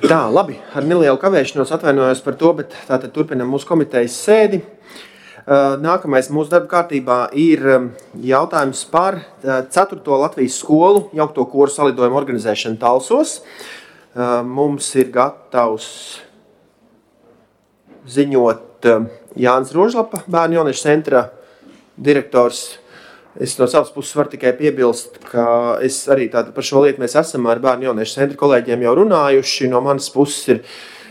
Tā, labi, ar nelielu kavēšanos atvainojos par to, bet tātad turpinam mūsu komitejas sēdi. Nākamais mūsu darba kārtībā ir jautājums par 4. Latvijas skolu jaukto koru salidojumu organizēšanu Talsos. Mums ir gatavs ziņot Jānis Rožlapa, Bērnu jauniešu centra direktors. Es no savas puses varu tikai piebilst, ka es arī tātad par šo lietu mēs esam ar Bērnu jauniešu centra kolēģiem jau runājuši. No manas puses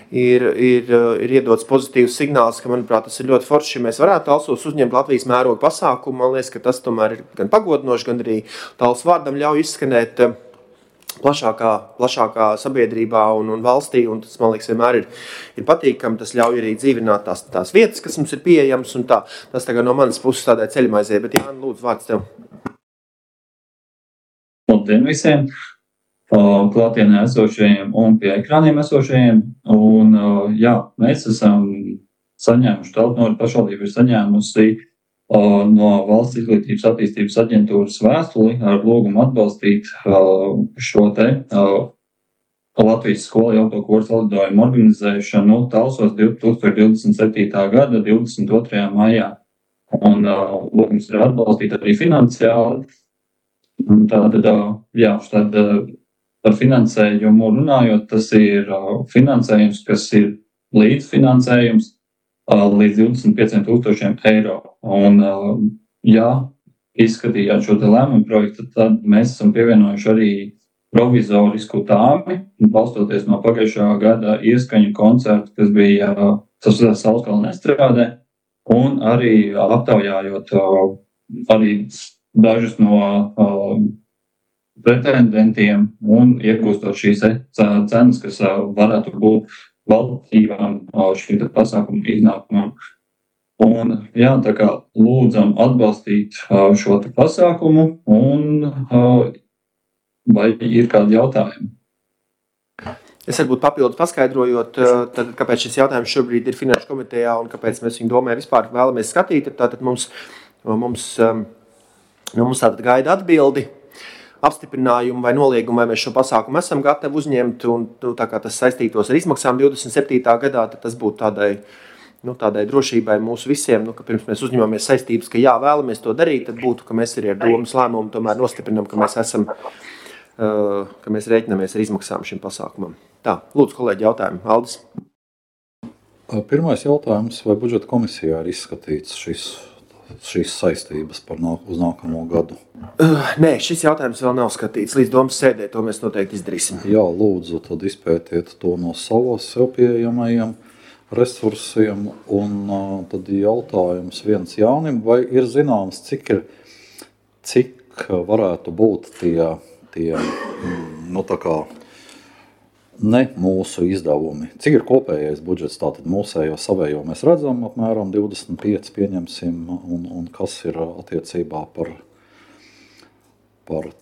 ir iedots pozitīvs signāls, ka, manuprāt, tas ir ļoti forši, ja mēs varētu Talsos uzņemt Latvijas mēroga pasākumu. Man liekas, ka tas tomēr ir gan pagodinoši, gan arī Talsu vārdam ļauj izskanēt plašākā sabiedrībā un valstī, un tas, man liekas, vienmēr ir patīkami. Tas ļauj arī dzīvināt tās vietas, kas mums ir pieejamas, un tā. Tas tagad no manas puses tādai ceļmaizē, bet Jāni, lūdzu, vārds tev. Labdien visiem! Klātienē esošajiem un pie ekrāniem esošajiem. Un, jā, mēs esam saņēmuši, Talsu pašvaldība ir saņēmusi no Valsts izglītības attīstības aģentūras vēstuli ar lūgumu atbalstīt šo te Latvijas skolu jaukto koru salidojumu organizēšanu Talsos 2027. gada 22. maijā. Un lūgums ir atbalstīt arī finansiāli. Tātad, jā, par finansējumu runājot, tas ir finansējums, kas ir līdzfinansējums līdz 25,000 eiro. Un, ja izskatījāt šo te lēmumu projektu, tad mēs esam pievienojuši arī provizorisku tāmi, balstoties no pagājušā gada ieskaņu koncertu, kas bija Saulskalna estrādē, un arī aptaujājot arī dažus no pretendentiem un iegūstot šīs cenas, kas varētu būt valdībām šī pasākuma iznākumam. Un, jā, tā kā lūdzam atbalstīt šo pasākumu, un vai ir kādi jautājumi? Es varbūt papildus paskaidrojot, tad, kāpēc šis jautājums šobrīd ir Finanšu komitejā un kāpēc mēs viņu domē vispār vēlamies skatīt, tātad mums tātad gaida atbildi, apstiprinājumu vai noliegumu, vai mēs šo pasākumu esam gatavi uzņemt, un tā kā tas saistītos ar izmaksām 27. gadā, tad tas būtu tādai drošībai mūsu visiem, ka pirms mēs uzņemamies saistības, ka jā, vēlamies to darīt, tad būtu, ka mēs arī ar domas lēmumu tomēr nostiprinam, ka mēs rēķinamies ar izmaksām šim pasākumam. Tā, lūdzu, kolēģi, jautājumi. Aldis? Pirmais jautājums, vai budžeta komisijā ir izskatīts šīs saistības uz nākamo gadu? Nē, šis jautājums vēl nav skatīts. Līdz domas sēdē to mēs noteikti izdarīsim. Jā, lūdzu, tad izpētiet to no savos sev pieejamajiem resursiem. Un tad jautājums viens Jānim, vai ir zināms, cik varētu būt tie tā kā ne mūsu izdevumi. Cik ir kopējais budžets, tātad mūsējo savējo mēs redzam, apmēram 25 pieņemsim, un kas ir attiecībā par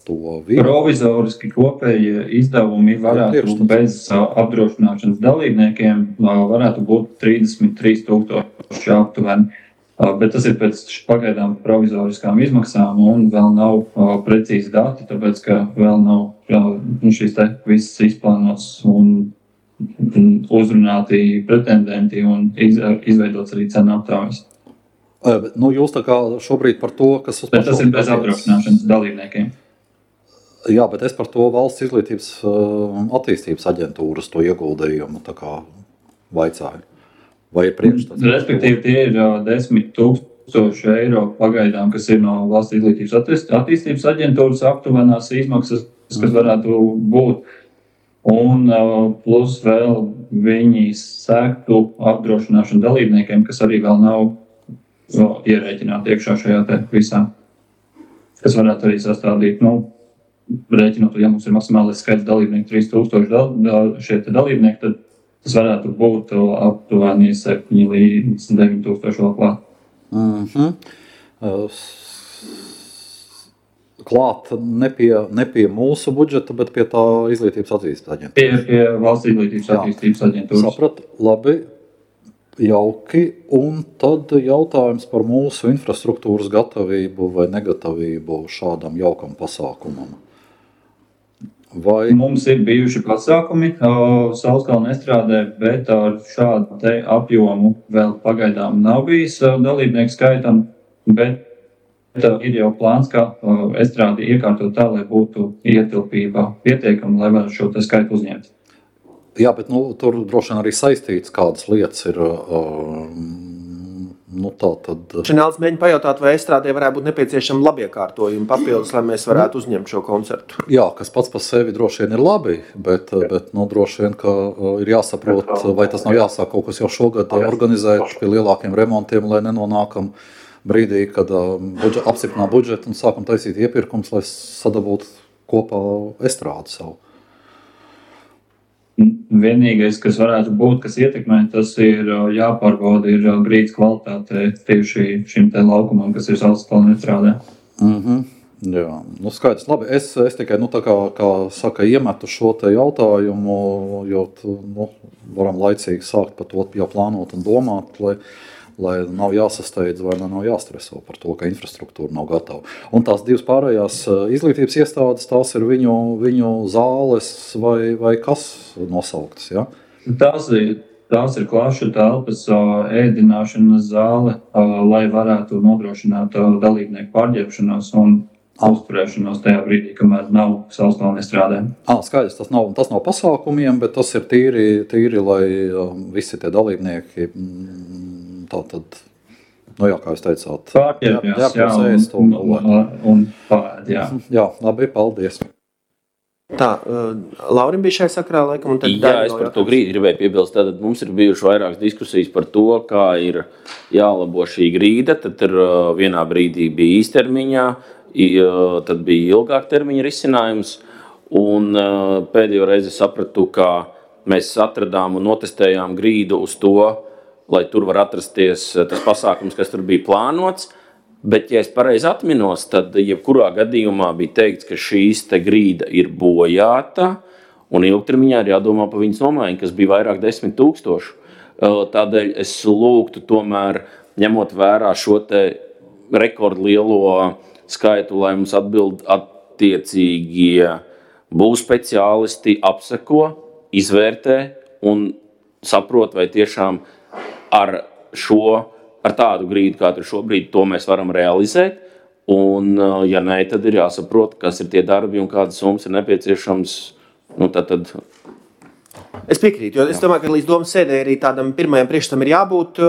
to vienu? Provizoriski kopējie izdevumi varētu bez apdrošināšanas dalībniekiem varētu būt 33,000 aptuveni. Bet tas ir pēc pagaidām provizoriskām izmaksām un vēl nav precīzi dati, tāpēc, ka vēl nav šīs te visas izplānotas un uzrunāti pretendenti un izveidots arī cenu aptaujas. Jūs tā kā šobrīd par to, kas uz bet tas ir bez apdrošināšanas dalībniekiem. Jā, bet es par to Valsts izglītības attīstības aģentūras to ieguldījumu tā kā vaicāju. Vai ir priekšstats? Respektīvi, tie ir 10,000 eiro pagaidām, kas ir no Valsts izglītības attīstības aģentūras aptuvenās izmaksas, kas varētu būt. Un plus vēl viņi sektu apdrošināšanu dalībniekiem, kas arī vēl nav ierēķināti iekšā šajā te visā. Kas varētu arī sastādīt, rēķinot, ja mums ir maksimālais skaits dalībnieku 3,000 šie te dalībnieki, tad tas varētu būt aptuveni 7 līdz 9,000 vēl klāt. Klāt ne pie mūsu budžeta, bet pie tā izglītības attīstības aģentūras. Pie Valsts izglītības attīstības aģentūras. Saprat, labi, jauki. Un tad jautājums par mūsu infrastruktūras gatavību vai negatavību šādam jaukam pasākumam. Vai Mums ir bijuši pasākumi Saulskalna estrādē, bet ar šādu te apjomu vēl pagaidām nav bijis dalībnieku skaitam, bet ir jau plāns, kā estrādi iekārtot tā, lai būtu ietilpība pietiekama, lai varētu šo te skaitu uzņemt. Jā, bet tur droši vien arī saistīts, kādas lietas ir. Tā tad. Šanēls mēģina pajautāt, vai estrādē varētu būt nepieciešama labiekārtojuma papildus, lai mēs varētu uzņemt šo koncertu. Jā, kas pats par sevi droši vien ir labi, bet droši vien, ka ir jāsaprot, vai tas nav jāsāk kaut kas jau šogad organizēt pie lielākiem remontiem, lai nenonākam brīdī, kad apstiprinām budžetu un sākam taisīt iepirkums, lai sadabūtu kopā estrādi savu. Vienīgais, kas varētu būt, kas ietekmē, tas ir jāpārbauda ir grīdas kvalitāte tieši šim te laukumam, kas ir Saulskalna estrādē. Jā, skaidrs. Labi, es tikai, tā kā saka, iemetu šo te jautājumu, jo varam laicīgi sākt par to jau plānot un domāt, lai nav jāsasteidz vai nav jāstreso par to, ka infrastruktūra nav gatava. Un tās divas pārējās izglītības iestādes, tās ir viņu zāles vai kas nosauktas, ja? Tās ir klašu telpas, ēdināšanas zāle, lai varētu nodrošināt dalībnieku pārģērbšanos un uzturēšanos tajā brīdī, kamēr nav Saulskalna estrādē. Skaidrs, tas nav pasākumiem, bet tas ir tīri lai visi tie dalībnieki tātad, kā jūs teicāt, pārģērbjās, un pārēd, jā. Jā, labi, paldies. Tā, Laurim bija šai sakrā, laikam, un tad Jā, es par to gribēju piebilst. Tātad mums ir bijuši vairākas diskusijas par to, kā ir jālabo šī grīda. Tad vienā brīdī bija īstermiņā, tad bija ilgāk termiņa risinājums. Un pēdējo reizi sapratu, ka mēs atradām un notestējām grīdu uz to, lai tur var atrasties tas pasākums, kas tur bija plānots. Bet, ja es pareizi atminos, tad jebkurā gadījumā bija teikts, ka šīs te grīda ir bojāta un ilgtermiņā ir jādomā par viņas nomaiņu, kas bija vairāk 10 000. Tādēļ es lūgtu tomēr, ņemot vērā šo te rekordlielo skaitu, lai mums atbild attiecīgie būs speciālisti, apseko, izvērtē un saprot, vai tiešām ar tādu grīdu, kā tur šobrīd, to mēs varam realizēt. Un, ja nē, tad ir jāsaprot, kas ir tie darbi un kādas summas ir nepieciešams. Tad. Es piekrītu, jo es domāju, ka līdz domas sēdē arī tādam pirmajam priekšstam ir jābūt.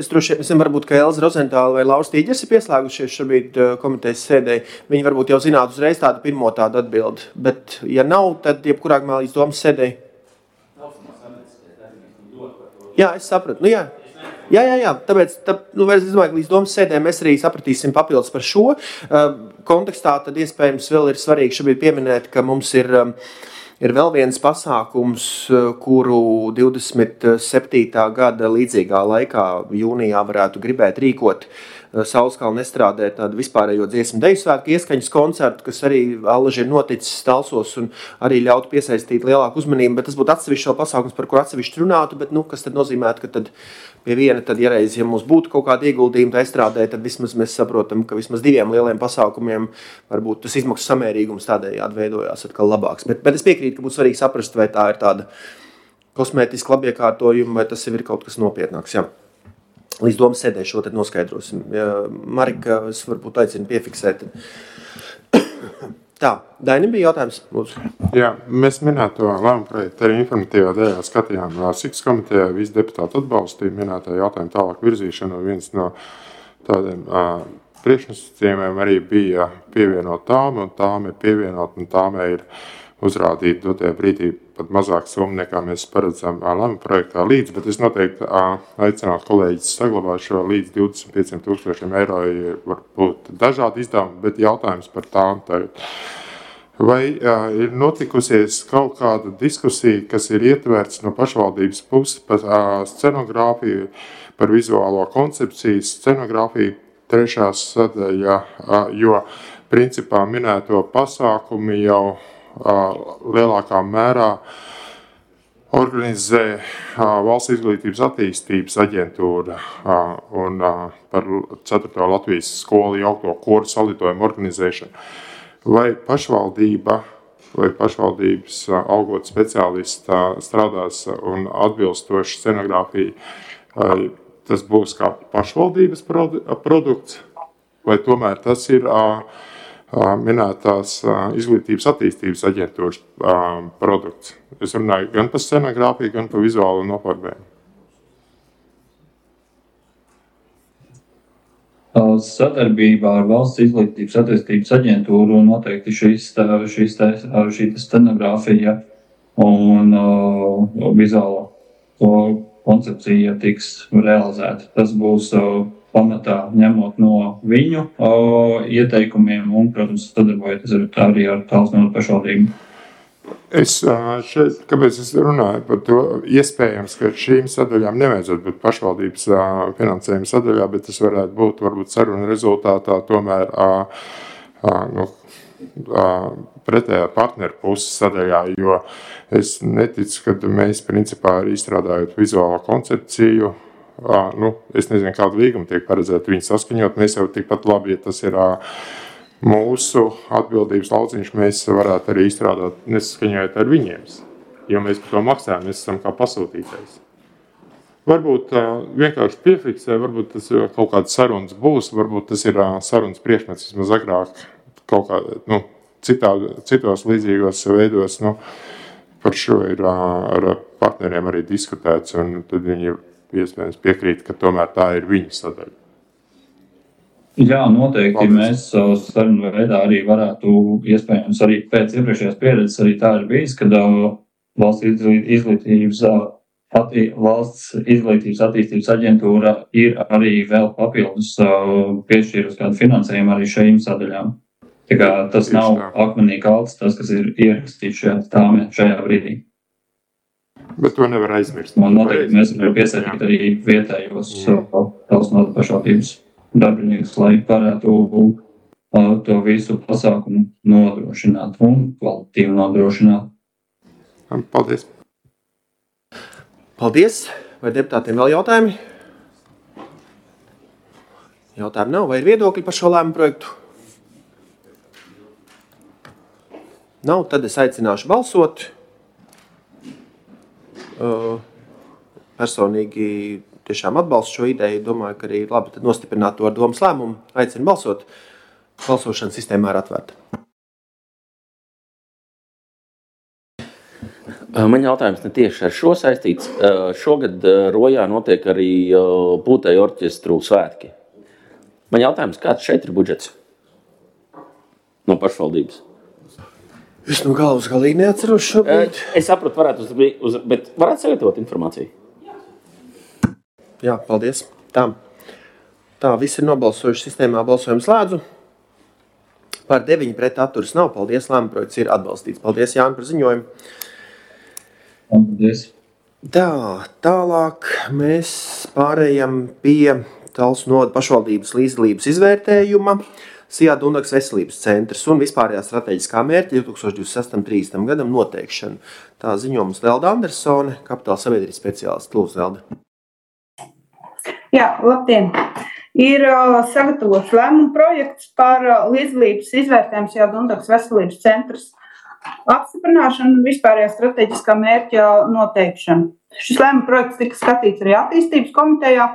Es droši vien, varbūt, ka Elza Rozentāla vai Lauris Tīģers ir pieslēgušies šobrīd komitejas sēdē. Viņi varbūt jau zinātu uzreiz tādu pirmo tādu atbildi. Bet, ja nav, tad jebkurā gadījumā līdz domas sēdē. Jā, es sapratu. Jā. Tāpēc es domāju, ka līdz domas sēdē mēs arī sapratīsim papildus par šo kontekstā. Tad iespējams vēl ir svarīgi šobrīd pieminēt, ka mums ir vēl viens pasākums, kuru 27. gada līdzīgā laikā jūnijā varētu gribēt rīkot Saulskalna estrādē tādu vispārējo dziesmu deju svētku ieskaņas koncertu, kas arī allaži ir noticis Talsos un arī ļautu piesaistīt lielāku uzmanību, bet tas būtu atsevišķs vēl pasākums, par kur atsevišķi runātu, bet kas tad nozīmētu, ka tad pie viena, tad ja reiz, ja mums būtu kaut kāda ieguldījuma estrādē, tad vismaz mēs saprotam, ka vismaz diviem lieliem pasākumiem varbūt tas izmaksu samērīgums tādējādi veidojās atkal labāks. Bet es piekrītu, ka būtu svarīgi saprast, vai tā ir tāda kosmētiska labiekārtojuma, vai tas ir kaut kas nopietnāks, jā. Līdz domas sēdē šo tad noskaidrosim. Marika, es varbūt aicinu piefiksēt. Tā, Dainim bija jautājums, lūdzu. Jā, mēs minēto lēmumu projektu arī informatīvā daļā skatījām. Siks komitejā visi deputāti atbalstīja minētā jautājuma tālāk virzīšanu. Viens no tādiem priekšnosacījumiem arī bija pievienot tām, un tām ir pievienot, un tām ir uzrādīt dotajā brīdī pat mazāk summu, nekā mēs paredzam lēmumu projektā līdz, bet es noteikti aicinātu kolēģis saglabāt šo līdz 25 000 eiro, var būt dažādi izdevumi, bet jautājums par tām tagad. Vai ir notikusies kaut kāda diskusija, kas ir ietverts no pašvaldības puses par scenogrāfiju, par vizuālo koncepciju, scenogrāfiju trešā sadaļa, jo principā minēto pasākumu jau lielākā mērā organizē Valsts izglītības attīstības aģentūra un par 4. Latvijas skolu jaukto koru salidojumu organizēšanu. Vai pašvaldība lai pašvaldības algot speciālisti strādās un atbilstoši scenogrāfija, tas būs kā pašvaldības produkts, vai tomēr tas ir minētās izglītības attīstības aģentūras produkts. Es runāju gan par scenogrāfiju, gan par vizuālu nofarbējumu. Sadarbībā ar Valsts izglītības attīstības aģentūru noteikti šī scenogrāfija un vizuālo koncepcija tiks realizēta. Tas būs pamatā ņemot no viņu ieteikumiem un, protams, sadarbojoties arī ar Talsu novadas pašvaldību. Kāpēc es runāju par to? Iespējams, ka šīm sadaļām nevajadzētu būt pašvaldības finansējuma sadaļā, bet tas varētu būt varbūt saruna rezultātā tomēr pretējā partneru puses sadaļā, jo es neticu, ka mēs principā arī izstrādājot vizuālo koncepciju, es nezinu, kādu līgumu tiek paredzēt viņu saskaņot, mēs jau tikpat labi, ja tas ir mūsu atbildības lauciņš, mēs varētu arī izstrādāt nesaskaņojot ar viņiem, jo mēs par to maksājam, mēs esam kā pasūtītājs. Varbūt vienkārši piefiksē, varbūt tas kaut kāds sarunas būs, varbūt tas ir sarunas priekšmets, vismaz agrāk kaut kā, citos līdzīgos veidos, par šo ir ar partneriem arī diskutēts, un tad viņi iespējams piekrīt, ka tomēr tā ir viņa sadaļa. Jā, noteikti. Mēs sarunu veidā arī varētu, iespējams, arī pēc iepriekšējās pieredzes arī tā ir bijis, kad Valsts izglītības attīstības aģentūra ir arī vēl papildus piešķīrusi kādu finansējumu arī šīm sadaļām. Tā kā tas nav akmenī kalts, tas, kas ir ierakstīts šajā brīdī. Bet to nevar aizmirst. Un noteikti mēs varam piesaistīt arī vietējos Talsu novadas pašvaldības darbiniekus, lai varētu to visu pasākumu nodrošināt un kvalitīvi nodrošināt. Paldies! Paldies! Vai deputātiem vēl jautājumi? Jautājumi nav. Vai ir viedokļi par šo lēmumu projektu? Nav, tad es aicināšu balsot. Personīgi tiešām atbalstu šo ideju. Domāju, ka arī labi nostiprināt to ar domas lēmumu. Aicinu balsot. Balsošana sistēmā ir atvērta. Man jautājums ne tieši ar šo saistīts. Šogad Rojā notiek arī Pūtēju orķestru svētki. Man jautājums, kāds šeit ir budžets no pašvaldības? Es no galvas galīgi neatceros šobrīd. Es saprotu, bet varētu sagatavot informāciju? Jā, paldies. Tā, visi ir nobalsojuši sistēmā, balsojumu slēdzu. Par 9 pret atturas nav. Paldies, lēmuma projekts ir atbalstīts. Paldies, Jāni, par ziņojumu. Paldies. Tā, tālāk mēs pārējam pie Talsu novadas pašvaldības līdzdalības izvērtējuma. Sijā Dundagas veselības centrs un vispārējā strateģiskā mērķa 2026-30 gadam noteikšana. Tā ziņojums Lelda Andersone, Kapitāla sabiedrības speciālists. Lūdzu, Lelda. Jā, labdien! Ir sagatavots lēmuma projekts par līdzdalības izvērtējumu Sijā Dundagas veselības centrs apstiprināšanu un vispārējā strateģiskā mērķa noteikšanu. Šis lēmuma projekts tika skatīts arī attīstības komitejā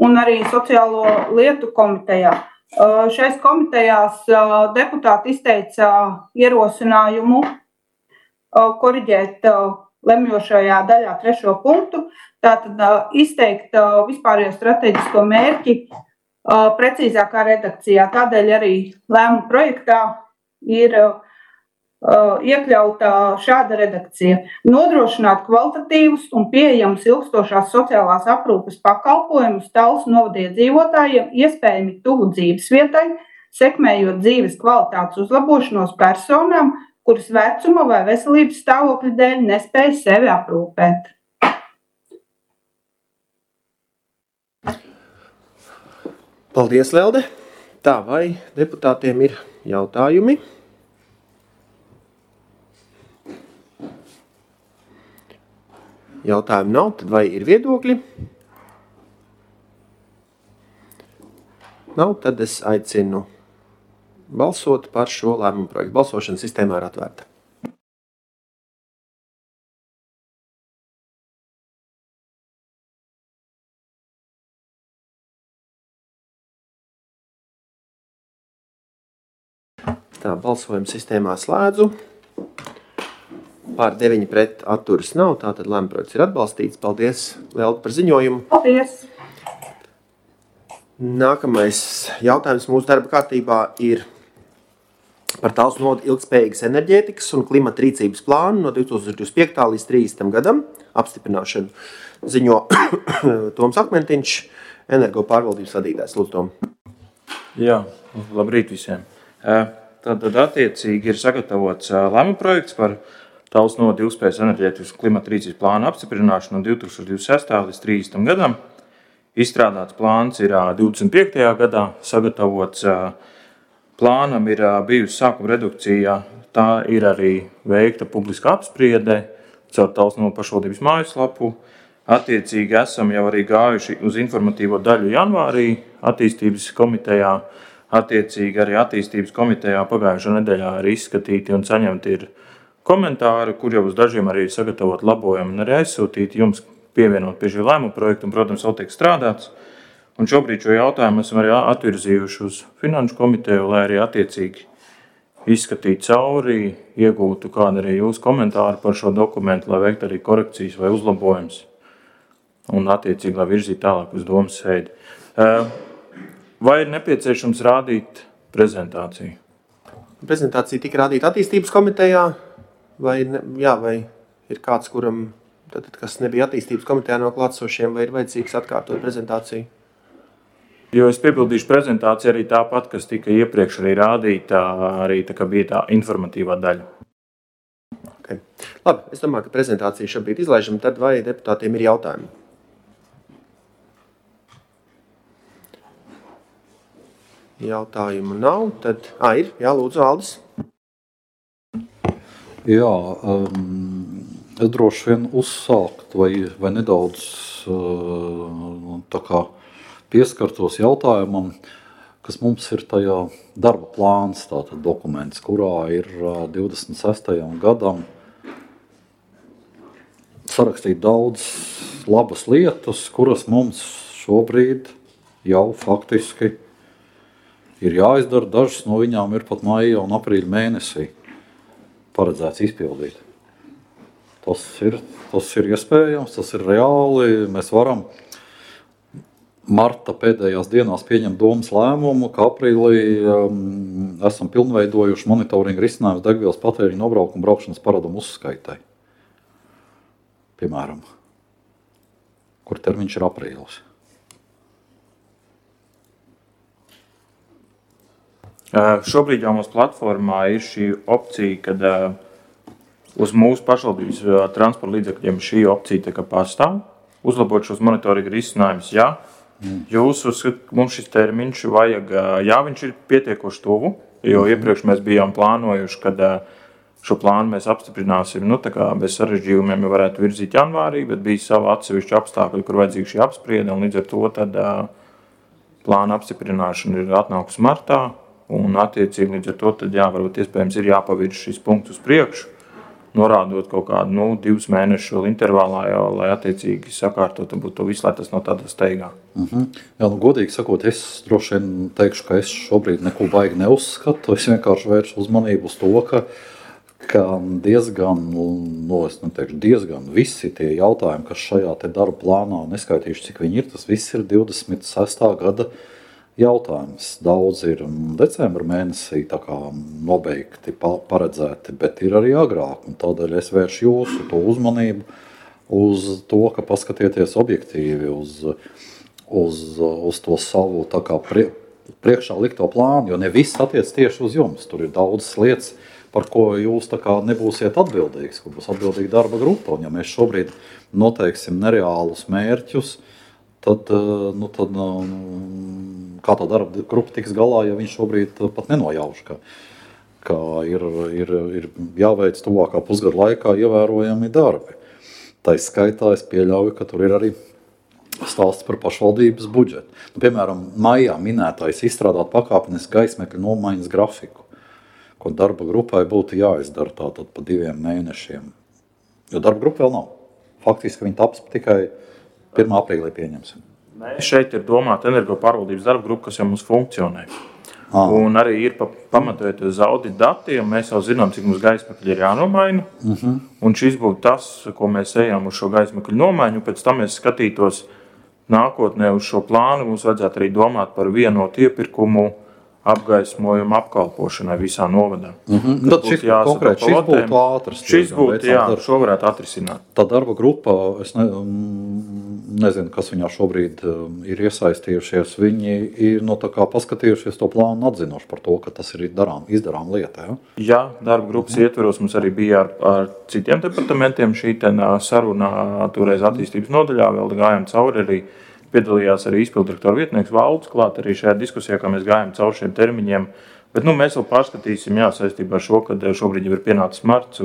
un arī sociālo lietu komitejā. Šais komitejās deputāti izteica ierosinājumu koriģēt lemjošajā daļā 3. punktu, tātad izteikt vispārējo strateģisko mērķi precīzākā redakcijā. Tādēļ arī lēmuma projektā ir iekļauta šāda redakcija. Nodrošināt kvalitatīvus un pieejamus ilgstošās sociālās aprūpes pakalpojumus Talsu novada iedzīvotājiem, iespējami tuvu dzīves vietai, sekmējot dzīves kvalitātes uzlabošanos personām, kuras vecuma vai veselības stāvokļa dēļ nespēj sevi aprūpēt. Paldies, Lelde. Tā, vai deputātiem ir jautājumi? Jautājumu nav, tad vai ir viedokļi? Nav, tad es aicinu balsot par šo lēmumu projektu. Balsošana sistēmā ir atvērta. Tā, balsojuma sistēmā slēdzu. Pār 9 pret atturas nav, tātad lēmuma projekts ir atbalstīts. Paldies, Lielda, par ziņojumu. Paldies! Nākamais jautājums mūsu darba kārtībā ir par Talsu novada ilgspējīgas enerģētikas un klimata rīcības plānu no 2025. līdz 30. gadam apstiprināšanu. Ziņo Toms Akmentiņš, energo pārvaldības vadītājs. Lūdzu, Tom. Jā, labrīt visiem. Tātad attiecīgi ir sagatavots lēmuma projekts par Talsu novada ilgspējīgas enerģētikas un klimata rīcības plānu apstiprināšanu no 2026. līdz 30. gadam. Izstrādāts plāns ir 25. gadā, sagatavots plānam ir bijusi sākuma redukcija, tā ir arī veikta publiska apspriede caur Talsu novada pašvaldības mājaslapu. Attiecīgi esam jau arī gājuši uz informatīvo daļu janvārī attīstības komitejā. Attiecīgi arī attīstības komitejā pagājušā nedēļā ir izskatīti un saņemti ir komentāri, kur jau uz dažiem arī sagatavot labojumi un arī aizsūtīti jums pievienot pie šī lēmuma projekta un, protams, vēl tiek strādāts. Un šobrīd šo jautājumu esam arī atvirzījuši uz Finanšu komiteju, lai arī attiecīgi izskatītu cauri, iegūtu kādu arī jūsu komentāru par šo dokumentu, lai veiktu arī korekcijas vai uzlabojumus un attiecīgi, lai virzītu tālāk uz domas sēdi. Vai ir nepieciešams rādīt prezentāciju? Prezentācija tika rādīta attīstības komitejā, vai ir kāds, kuram, kas nebija attīstības komitejā no klātsošiem, vai ir vajadzīgs atkārtot prezentāciju? Jo es piebildīšu prezentāciju arī tāpat, kas tika iepriekš arī rādīta, arī tā kā bija tā informatīvā daļa. Okay. Labi, es domāju, ka prezentācija šobrīd izlaižam, tad vai deputātiem ir jautājumi? Jautājumu nav, tad ir, jā, lūdzu, Aldis. Jā, es droši vien uzsākt vai nedaudz tā kā pieskartos jautājumam, kas mums ir tajā darba plāns, tātad dokuments, kurā ir 26. gadam sarakstīt daudz labas lietas, kuras mums šobrīd jau faktiski ir jāizdara. Dažas no viņām ir pat maija un aprīļa mēnesī paredzēts izpildīt. Tas ir iespējams, tas ir reāli. Mēs varam marta pēdējās dienās pieņemt domas lēmumu, ka aprīlī esam pilnveidojuši monitoringa risinājumus degvielas patēriņa nobraukuma braukšanas paradumu uzskaitai. Piemēram, kur termiņš ir aprīlis. Šobrīd jau mūsu platformā ir šī opcija, kad uz mūsu pašvaldības transporta līdzekļiem šī opcija tā kā pastāv. Uzlabot šos monitoringa risinājumus, jā. Jūs uzskatāt, ka mums šis termiņš vajag, jā, viņš ir pietiekoši tuvu, jo iepriekš mēs bijām plānojuši, kad šo plānu mēs apstiprināsim, tā kā bez sarežģījumiem jau varētu virzīt janvārī, bet bija sava atsevišķa apstākļi, kur vajadzīga šī apspriede, un līdz ar to tad plāna apstiprināšana ir atnākusi martā, un attiecīgi līdz ar to tad varbūt iespējams ir jāpavirz šis punkts uz priekšu, norādot kaut kādu 2 mēnešu intervālā, lai attiecīgi sakārtot un būtu to visu, lai tas nav tādā steigā. Jā, godīgi sakot, es droši vien teikšu, ka es šobrīd neko baigi neuzskatu. Es vienkārši vēršu uzmanību uz to, ka diezgan visi tie jautājumi, kas šajā te darba plānā, neskaitīšu, cik viņi ir, tas viss ir 26. gada jautājums. Daudz ir decembra mēnesī tā kā nobeigti, paredzēti, bet ir arī agrāk. Un tādēļ es vēršu jūsu to uzmanību uz to, ka paskatieties objektīvi uz to savu tā kā priekšā likto plānu, jo ne viss attiec tieši uz jums. Tur ir daudzas lietas, par ko jūs tā kā nebūsiet atbildīgs, kur būs atbildīga darba grupa. Un ja mēs šobrīd noteiksim nereālus mērķus, tad kā tā darba grupa tiks galā, ja viņš šobrīd pat nenojauš, ka ir jāveic tuvākā pusgada laikā ievērojami darbi. Tā skaitā es pieļauju, ka tur ir arī stāsts par pašvaldības budžetu. Piemēram, maijā minētais izstrādāt pakāpenisku gaismekļu nomaiņas grafiku, ko darba grupai būtu jāizdara tātad pa 2 mēnešiem. Jo darba grupa vēl nav. Faktiski viņi taps tikai 1. aprīlī pieņemsim. Šeit ir domāta energo pārvaldības darba grupa, kas jau mums funkcionē. Un arī ir pamatojot uz audita datiem, mēs jau zinām, cik mums gaismakļi ir jānomaina. Un šis būtu tas, ko mēs ejam uz šo gaismakļu nomaiņu. Pēc tam mēs skatītos nākotnē uz šo plānu. Mums vajadzētu arī domāt par vienotu iepirkumu apgaismojumu apkalpošanai visā novadā. Tad šis būtu ātrs. Šis būtu, jā, šo varētu atrisināt. Tā darba grupa, es nezinu, kas viņā šobrīd ir iesaistījušies. Viņi ir tā kā paskatījušies to plānu un atzinuši par to, ka tas ir izdarām lieta. Ja? Jā, darba grupas ietveros mums arī bija ar citiem departamentiem šī saruna toreiz attīstības nodaļā, vēl gājām cauri arī. Piedalījās arī izpildirektora vietnieks Valds klāt arī šajā diskusijā, kā mēs gājām cauri šiem termiņiem. Bet mēs vēl pārskatīsim, saistībā ar šo, kad šobrīd jau ir pienācis marts.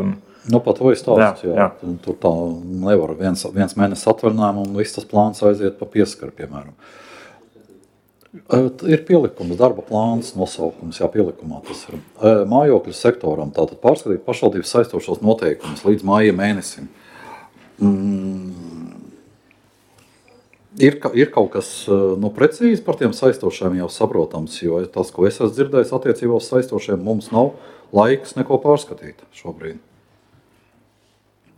Par to ir stāsts. Jā. Tur tā nevar viens mēnesis atvaļinājumu un viss tas plāns aiziet pa pieskaru, piemēram. Ir pielikums, darba plāns, nosaukums, pielikumā tas ir. Mājokļu sektoram tātad pārskatīt pašvaldības saistošos noteikumus līdz māja mēnesim. Ir kaut kas precīzi par tiem saistošiem jau saprotams, jo tas, ko es esmu dzirdējis attiecībā uz saistošiem, mums nav laiks neko pārskatīt šobrīd.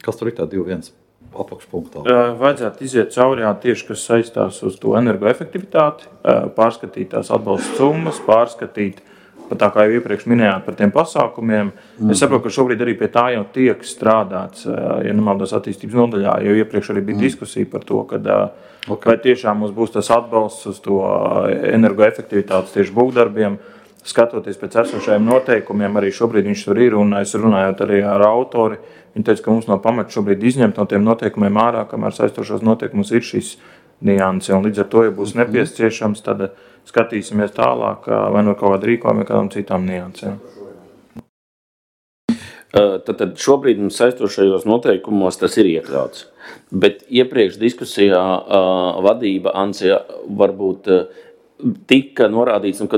Kas tur ir tā 2.1 apakšpunktā? Vajadzētu iziet cauri tieši, kas saistās uz to energoefektivitāti, pārskatīt tās atbalsta summas, pārskatīt, tā kā jau iepriekš minējāt par tiem pasākumiem. Es saprotu, ka šobrīd arī pie tā jau tiek strādāts, ja nemaldos attīstības nodaļā, jo iepriekš arī bija diskusija par to, vai tiešām mums būs tas atbalsts uz to energoefektivitātes tieši būvdarbiem, skatoties pēc esošajiem noteikumiem, arī šobrīd viņš tur ir, un es runājot arī ar autori, viņi teica, ka mums no pamata šobrīd izņemt no tiem noteikumiem ārā, kamēr saistošos noteikumus ir šis nianse, un līdz ar to, ja būs nepieciešams, tad skatīsimies tālāk, vai no kaut kāda rīkojuma, vai kādām citām niansēm. Tad šobrīd mums saistošajos noteikumos tas ir iekļauts. Bet iepriekš diskusijā vadība Ansija varbūt tika norādīts, ka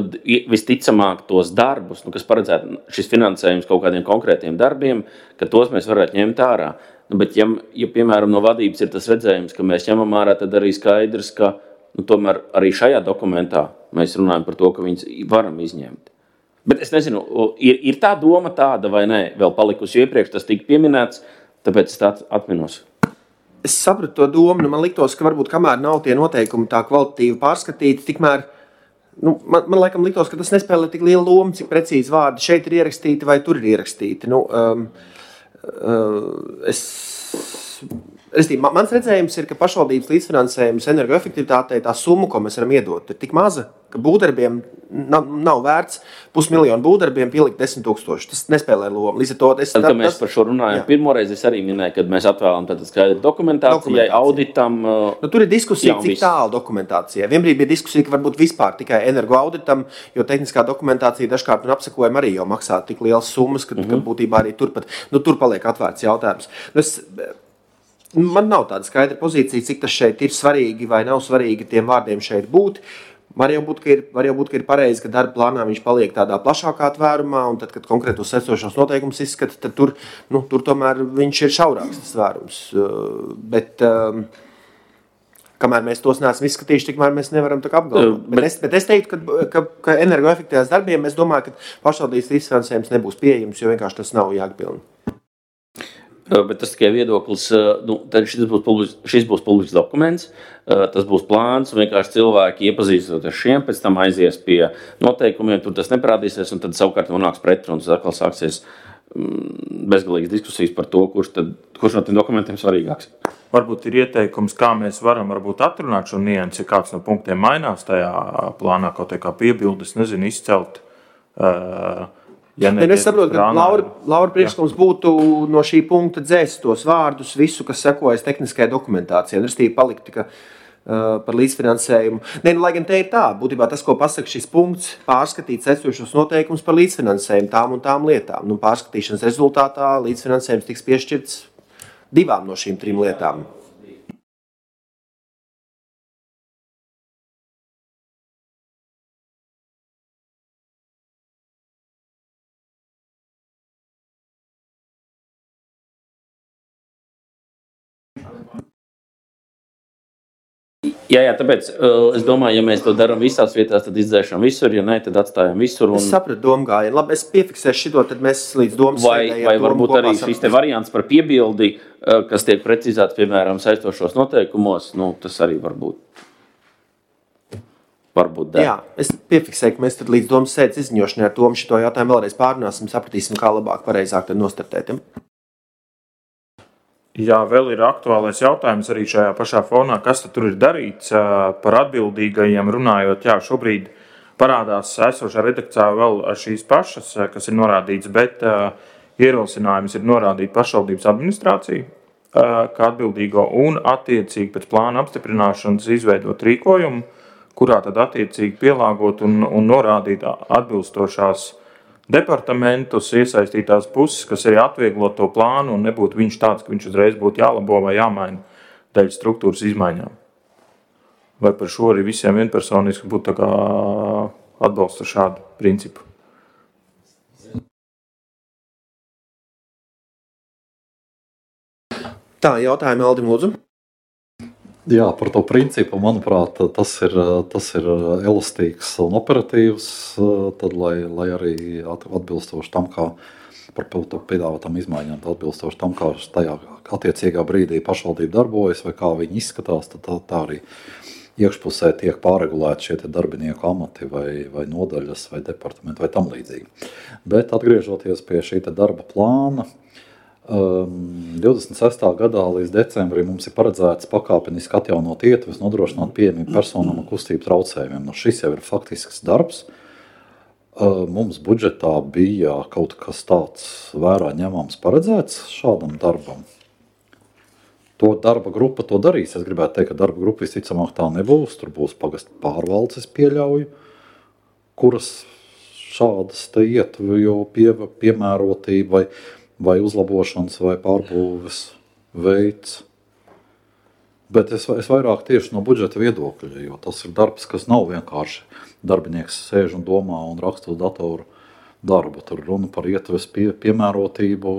visticamāk tos darbus, kas paredzētu šis finansējums kaut kādiem konkrētiem darbiem, ka tos mēs varētu ņemt ārā. Bet ja piemēram no vadības ir tas redzējums, ka mēs ņemam ārā, tad arī skaidrs, ka tomēr arī šajā dokumentā mēs runājam par to, ka viņus varam izņemt. Bet es nezinu, ir tā doma tāda vai nē, vēl palikusi iepriekš, tas tika pieminēts, tāpēc es tā atminos. Es sapratu to domu, man liktos, ka varbūt kamēr nav tie noteikumi tā kvalitatīvi pārskatīti, tikmēr, man laikam liktos, ka tas nespēlē tik lielu lomu, cik precīzi vārdi šeit ir ierakstīti vai tur ir ierakstīti. Mans redzējums ir, ka pašvaldības līdzfinansējums energoefektivitātei tā summa, ko mēs varam iedot, ir tik maza, ka būvdarbiem nav vērts 500 000 būvdarbiem pielikt 10 000. Tas nespēlē lomu. Līdz ar to kad mēs par šo runājam, pirmoreiz es arī minēju, kad mēs atvēlam tātad skaidru dokumentācijai, auditam. Tur ir diskusija, cik tālu dokumentācijai. Vienbrīd bija diskusija, ka varbūt vispār tikai energoauditam, jo tehniskā dokumentācija dažkārt un apsakojumi arī jau maksā tik lielas summas, ka būtībā arī turpat, tur paliek atvērts jautājums. Man nav tāda skaidra pozīcija, cik tas šeit ir svarīgi vai nav svarīgi tiem vārdiem šeit būt. Var jau būt, ka ir pareizi, ka darba plānā viņš paliek tādā plašākā tvērumā, un tad, kad konkrētos esošos noteikumus izskata, tad tur tomēr viņš ir šaurāks tas tvērums. Bet kamēr mēs tos neesam izskatījuši, tikmēr mēs nevaram tā kā apgalvot. Bet es teiktu, ka energoefektīvās darbiem, es domāju, ka pašvaldības līdzfinansējums nebūs pieejams, jo vienkārši tas nav jāatpilna. Bet tas tikai viedoklis, tad šis būs publisks dokuments, tas būs plāns, vienkārši cilvēki iepazīstot ar šiem, pēc tam aizies pie noteikumiem, tur tas neparādīsies, un tad savukārt nonāks pretruns, atkal sāksies bezgalīgas diskusijas par to, kurš no tiem dokumentiem svarīgāks. Varbūt ir ieteikums, kā mēs varam atrunāt šo niansi, ja kāds no punktiem mainās tajā plānā, kaut kā piebildes, nezinu, izcelt. Es saprotu, ka Laura priekšlikums būtu no šī punkta dzēst tos vārdus, visu, kas sekojas tehniskajai dokumentācijai, un restīvi palikt par līdzfinansējumu. Lai gan te ir tā, būtībā tas, ko pasaka šis punkts, pārskatīt esošos noteikumus par līdzfinansējumu tām un tām lietām. Pārskatīšanas rezultātā līdzfinansējums tiks piešķirts 2 no šīm 3 lietām. Jā, tāpēc es domāju, ja mēs to darām visās vietās, tad izdzēšam visur, ja ne, tad atstājam visur. Es sapratu domu gājienu. Labi, es piefiksēšu šito, tad mēs līdz domas sēdēji. Vai varbūt arī šis te variants par piebildi, kas tiek precizēts, piemēram, saistošos noteikumos, tas arī varbūt der. Jā, es piefiksēju, ka mēs tad līdz domas sēdes izziņošanai ar Tomu šito jautājumu vēlreiz pārunāsim, sapratīsim, kā labāk, pareizāk tad nostartēt. Jā, vēl ir aktuālais jautājums arī šajā pašā fonā, kas tad tur ir darīts par atbildīgajiem runājot. Jā, šobrīd parādās esošā redakcijā vēl šīs pašas, kas ir norādīts, bet ierosinājums ir norādīt pašvaldības administrāciju kā atbildīgo un attiecīgi pēc plāna apstiprināšanas izveidot rīkojumu, kurā tad attiecīgi pielāgot un norādīt atbilstošās departamentus, iesaistītās puses, kas arī atvieglot to plānu un nebūtu viņš tāds, ka viņš uzreiz būtu jālabo vai jāmaina dēļ struktūras izmaiņām. Vai par šo arī visiem vienpersoniski būtu tā kā atbalsta šādu principu? Tā, jautājumi Aldim lūdzu. Jā, par to principu, manuprāt, tas ir elastīgs un operatīvs, tad, lai arī atbilstoši tam, kā par piedāvātām izmaiņām, atbilstoši tam, kā tajā attiecīgā brīdī pašvaldība darbojas vai kā viņi izskatās, tad tā arī iekšpusē tiek pārregulēti šie darbinieku amati vai nodaļas vai departamenti vai tam līdzīgi. Bet atgriežoties pie šī darba plāna, 26. gadā līdz decembrim mums ir paredzēts pakāpeniski atjaunot ietves, nodrošināt pieejamību personām ar kustību traucējumiem. Šis jau ir faktisks darbs. Mums budžetā bija kaut kas tāds vērā ņemams paredzēts šādam darbam. To darba grupa to darīs. Es gribētu teikt, ka darba grupa visticamāk tā nebūs. Tur būs pagastu pārvaldes, es pieļauju, kuras šādas ietveju piemērotība vai uzlabošanas vai pārbūves veids. Bet es vairāk tieši no budžeta viedokļa, jo tas ir darbs, kas nav vienkārši darbinieks sēž un domā un raksta uz datoru darbu. Tur runa par ietves piemērotību,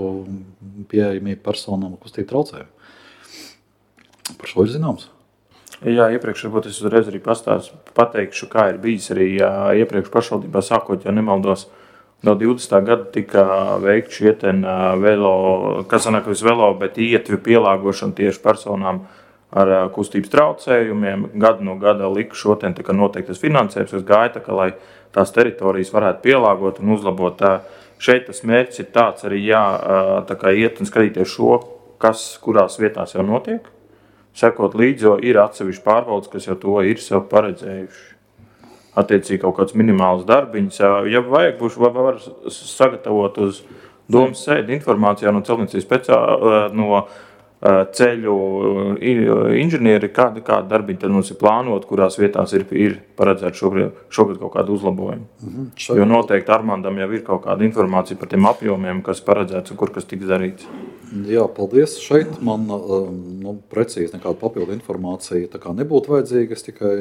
pieejamību personām, kustību traucējumu. Par šo ir zināms? Jā, iepriekš varbūt es uzreiz arī pateikšu, kā ir bijis arī iepriekš pašvaldībā sākot, ja nemaldos, no 20. gada tika veikt šie bet ietvi pielāgošana tieši personām ar kustības traucējumiem. Gadu no gada lika šo noteiktas finansējums, kas gāja, lai tās teritorijas varētu pielāgot un uzlabot. Šeit tas mērķis ir tāds arī iet un skatīties šo, kas kurās vietās jau notiek. Sekot līdzi, jo ir atsevišķi pārvaldes, kas jau to ir sev paredzējuši. Attiecīgi kaut kāds minimāls darbiņš. Ja vajag, var sagatavot uz domas sēdi informācijā no celtniecības no ceļu inženieri, kādi darbiņi tad mums ir plānot, kurās vietās ir paredzēt šogad kaut kādu uzlabojumu. Jo noteikti Armandam jau ir kaut kāda informācija par tiem apjomiem, kas paredzēts un kur kas tiks darīts. Jā, paldies. Šeit man precīzi nekāda papildu informācija tā kā nebūtu vajadzīga. Es tikai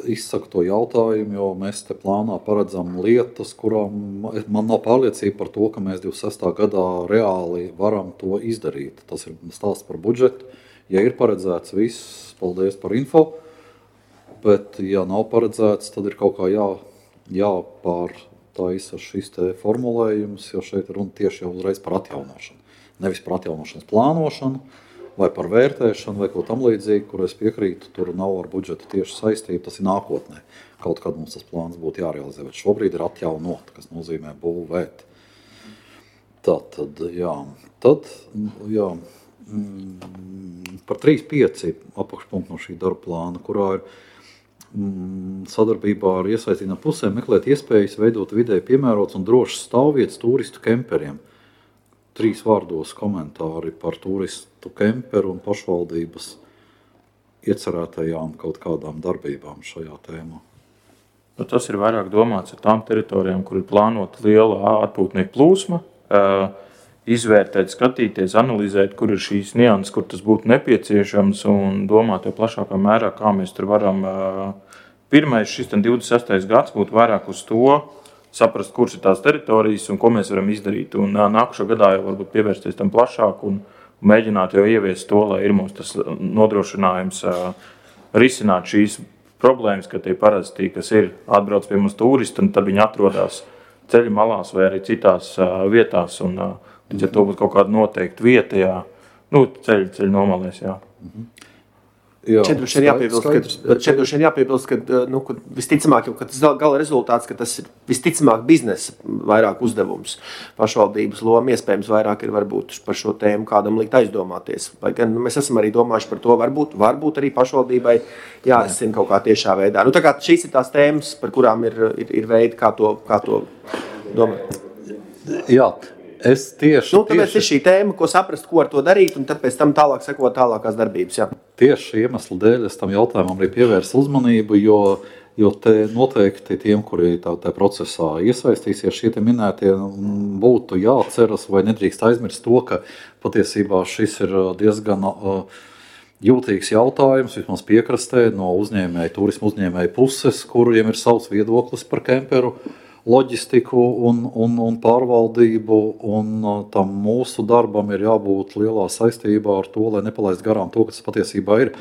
izsaku to jautājumu, jo mēs te plānā paredzam lietas, kurām man nav pārliecība par to, ka mēs 26. gadā reāli varam to izdarīt. Tas ir stāsts par budžetu. Ja ir paredzēts viss, paldies par info, bet ja nav paredzēts, tad ir kaut kā jāpārtaisa šis te formulējums, jo šeit runa tieši jau uzreiz par atjaunošanu. Nevis par atjaunošanas plānošanu, vai par vērtēšanu, vai ko tam līdzīgi, kur es piekrītu, tur nav ar budžetu tieši saistība, tas ir nākotnē. Kaut kad mums tas plāns būtu jārealizē, bet šobrīd ir atjaunot, kas nozīmē būvēt. Tātad, par 3.5 apakšpunktu no šī darba plāna, kurā ir sadarbībā ar iesaistītām pusēm meklēt iespējas veidot vidēji piemērots un drošs stāvvietas turistu kemperiem. 3 vārdos komentāri par turistu kemperu un pašvaldības iecerētajām kaut kādām darbībām šajā tēmā. Tas ir vairāk domāts ar tām teritorijām, kur ir plānota liela atpūtnieku plūsma, izvērtēt, skatīties, analizēt, kur ir šīs nianses, kur tas būtu nepieciešams un domāt jau plašākā mērā, kā mēs tur varam. Pirmais šis 26. gads būtu vairāk uz to, saprast, kuras ir tās teritorijas un ko mēs varam izdarīt. Un nākušā gadā jau varbūt pievērsties tam plašāk un mēģināt jau ieviest to, lai ir mums tas nodrošinājums risināt šīs problēmas, ka tie parasti, kas ir atbrauc pie mums turisti, un tad viņi atrodas ceļu malās vai arī citās vietās, un līdz ar to būtu kaut kāda noteikta vieta, ceļu nomalēs, jā. Šeit droši vien jāpiebilst, ka visticamāk, ka tas gala rezultāts, ka tas ir visticamāk biznesa vairāk uzdevums. Pašvaldības loma iespējams vairāk ir varbūt par šo tēmu kādam likt aizdomāties. Vai gan mēs esam arī domājuši par to, varbūt arī pašvaldībai jārisina kaut kā tiešā veidā. Tā kā šīs ir tās tēmas, par kurām ir veidi, kā to domāt. Jā. Es tāpēc ir šī tēma, ko saprast, ko ar to darīt, un tad pēc tam tālāk sekot tālākās darbības. Jā. Tieši iemesla dēļ es tam jautājumam arī pievērsu uzmanību, jo te noteikti tiem, kuri tā procesā iesaistīsies, šie te minētie būtu jāatceras vai nedrīkst aizmirst to, ka patiesībā šis ir diezgan jūtīgs jautājums, vismaz piekrastē no turismu uzņēmēju puses, kuriem ir savs viedoklis par kemperu loģistiku un pārvaldību, un tam mūsu darbam ir jābūt lielā saistībā ar to, lai nepalaist garām to, kas patiesībā ir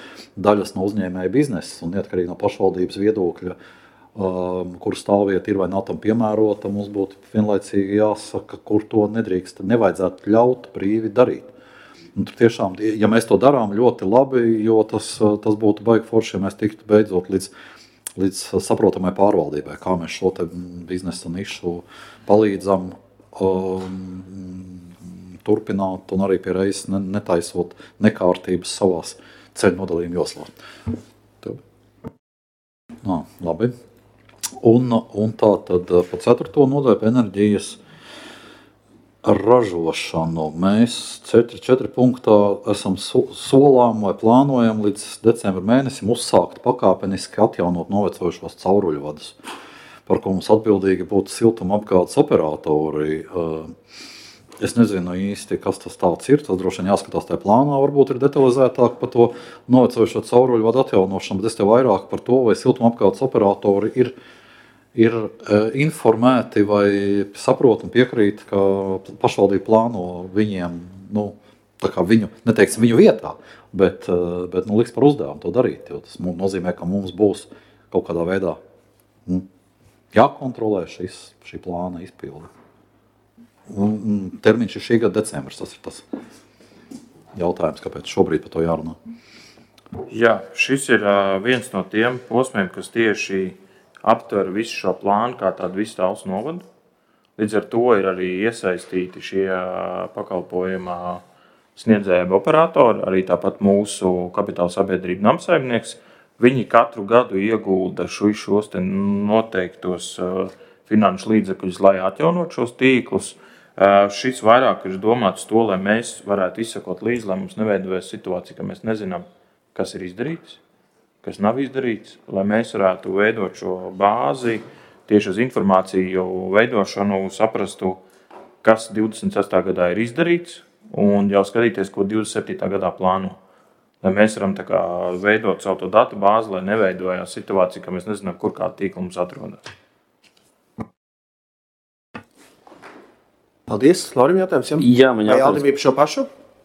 daļas no uzņēmēja biznesa, un neatkarīgi no pašvaldības viedokļa, kur stāvvieta ir vai nav tam piemērota, mums būtu vienlaicīgi jāsaka, kur to nevajadzētu ļaut brīvi darīt. Un tur tiešām, ja mēs to darām ļoti labi, jo tas būtu baigi forši, ja mēs tiktu beidzot līdz saprotamai pārvaldībai, kā mēs šo te biznesa nišu palīdzam turpināt un arī pie reizes netaisot nekārtības savās ceļu nodalījuma joslās. Labi. Un tā tad pa 4. nodaļu enerģijas ražošanu. Mēs 4 punktā esam solām vai plānojam līdz decembra mēnesim uzsākt pakāpeniski atjaunot novecojušos cauruļu vadus, par ko mums atbildīgi būtu siltumapgādes operatori. Es nezinu īsti, kas tas tāds ir, tas droši vien jāskatās tajā plānā, varbūt ir detalizētāk par to novecojušo cauruļu vadu atjaunošanu, bet es te vairāk par to, vai siltumapgādes operatori ir informēti vai saprot un piekrīt, ka pašvaldība plāno viņiem, tā kā neteiksim viņu vietā, bet liks par uzdevumu to darīt, jo tas nozīmē, ka mums būs kaut kādā veidā jākontrolē šī plāna izpilde. Termiņš ir šī gada decembris, tas ir tas jautājums, kāpēc šobrīd par to jārunā. Jā, šis ir viens no tiem posmiem, kas tieši aptver visu šo plānu, kā tādu visu Talsu novadu. Līdz ar to ir arī iesaistīti šie pakalpojuma sniedzēji operatori, arī tāpat mūsu kapitāla sabiedrība Namsaimnieks. Viņi katru gadu iegulda šos noteiktos finanšu līdzekļus, lai atjaunot šos tīklus. Šis vairāk ir domāts to, lai mēs varētu izsekot līdzi, lai mums neveidojas situācija, ka mēs nezinām, kas ir izdarīts, kas nav izdarīts, lai mēs varētu veidot šo bāzi, tieši uz informāciju veidošanu, saprastu, kas 26. gadā ir izdarīts, un jau skatīties, ko 27. gadā plāno. Lai mēs varam tā kā veidot savu to datu bāzi, lai neveidojās situācija, ka mēs nezinām, kur kāda tīkla mums atrodas. Paldies. Laurim jautājums? Jā, man jautājums. Vai Aldim bija par šo pašu?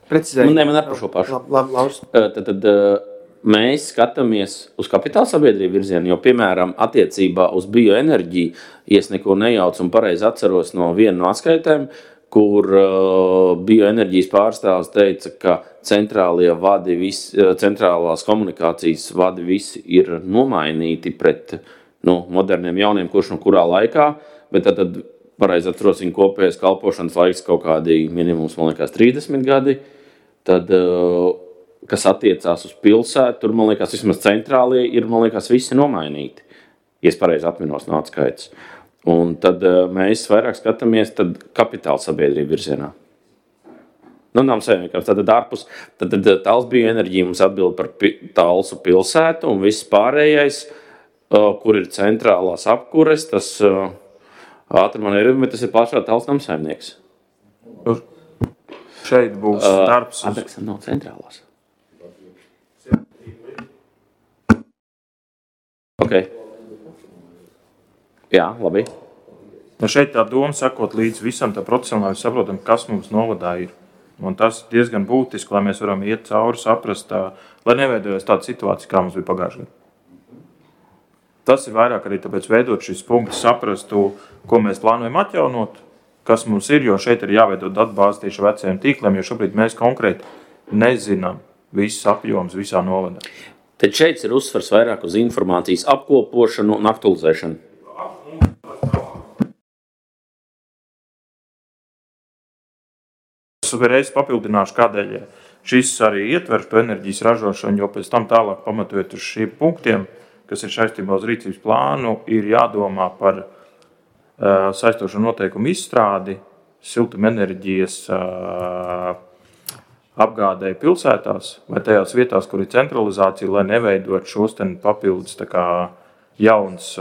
Precizēju. Nē, man ar par šo pašu. Lauris. Tad mēs skatāmies uz kapitāla sabiedrību virzienu, jo, piemēram, attiecībā uz bioenerģiju, ja es neko nejaucu un pareizi atceros no viena no atskaitēm, kur bioenerģijas pārstāvs teica, ka centrālās komunikācijas vadi visi ir nomainīti pret moderniem jauniem, kurš no kurā laikā, bet tad pareizi atceros viņa kopējais kalpošanas laiks kaut kādi minimums, man liekas, 30 gadi, tad kas attiecās uz pilsētu, tur, man liekas, vismaz centrālie ir, man liekas, visi nomainīti, ja es pareizi atminos no atskaites. Un tad mēs vairāk skatāmies kapitāla sabiedrību virzienā. Namsaimniekam, tad ārpus, tad Talsu bioenerģija mums atbild par Talsu pilsētu un viss pārējais, kur ir centrālās apkures, tas ātri man ir, bet tas ir plašā Talsu Namsaimnieks. Šeit būs darbs. Adreksam nav centrālās. Okay. Jā, labi. Šeit tā doma sakot līdz visam tā procesam, lai saprotam, kas mums novadā ir. Un tas ir diezgan būtiski, lai mēs varam iet cauri, saprast, lai neveidojas tāda situācija, kā mums bija pagājušajā gadā. Tas ir vairāk arī tāpēc veidot šis punkts, saprastu, ko mēs plānojam atjaunot, kas mums ir, jo šeit ir jāveido datubāze tieši vecajiem tīkliem, jo šobrīd mēs konkrēti nezinām visus apjomus visā novadā. Tad šeit ir uzsvars vairāk uz informācijas apkopošanu un aktualizēšanu. Es vēlreiz papildināšu, kādēļ šis arī ietver to enerģijas ražošanu, jo pēc tam tālāk pamatojot uz šiem punktiem, kas ir saistībā uz rīcības plānu, ir jādomā par saistošo noteikumu izstrādi, siltumenerģijas apgādēji pilsētās vai tajās vietās, kur ir centralizācija, lai neveidot šos papildus jauns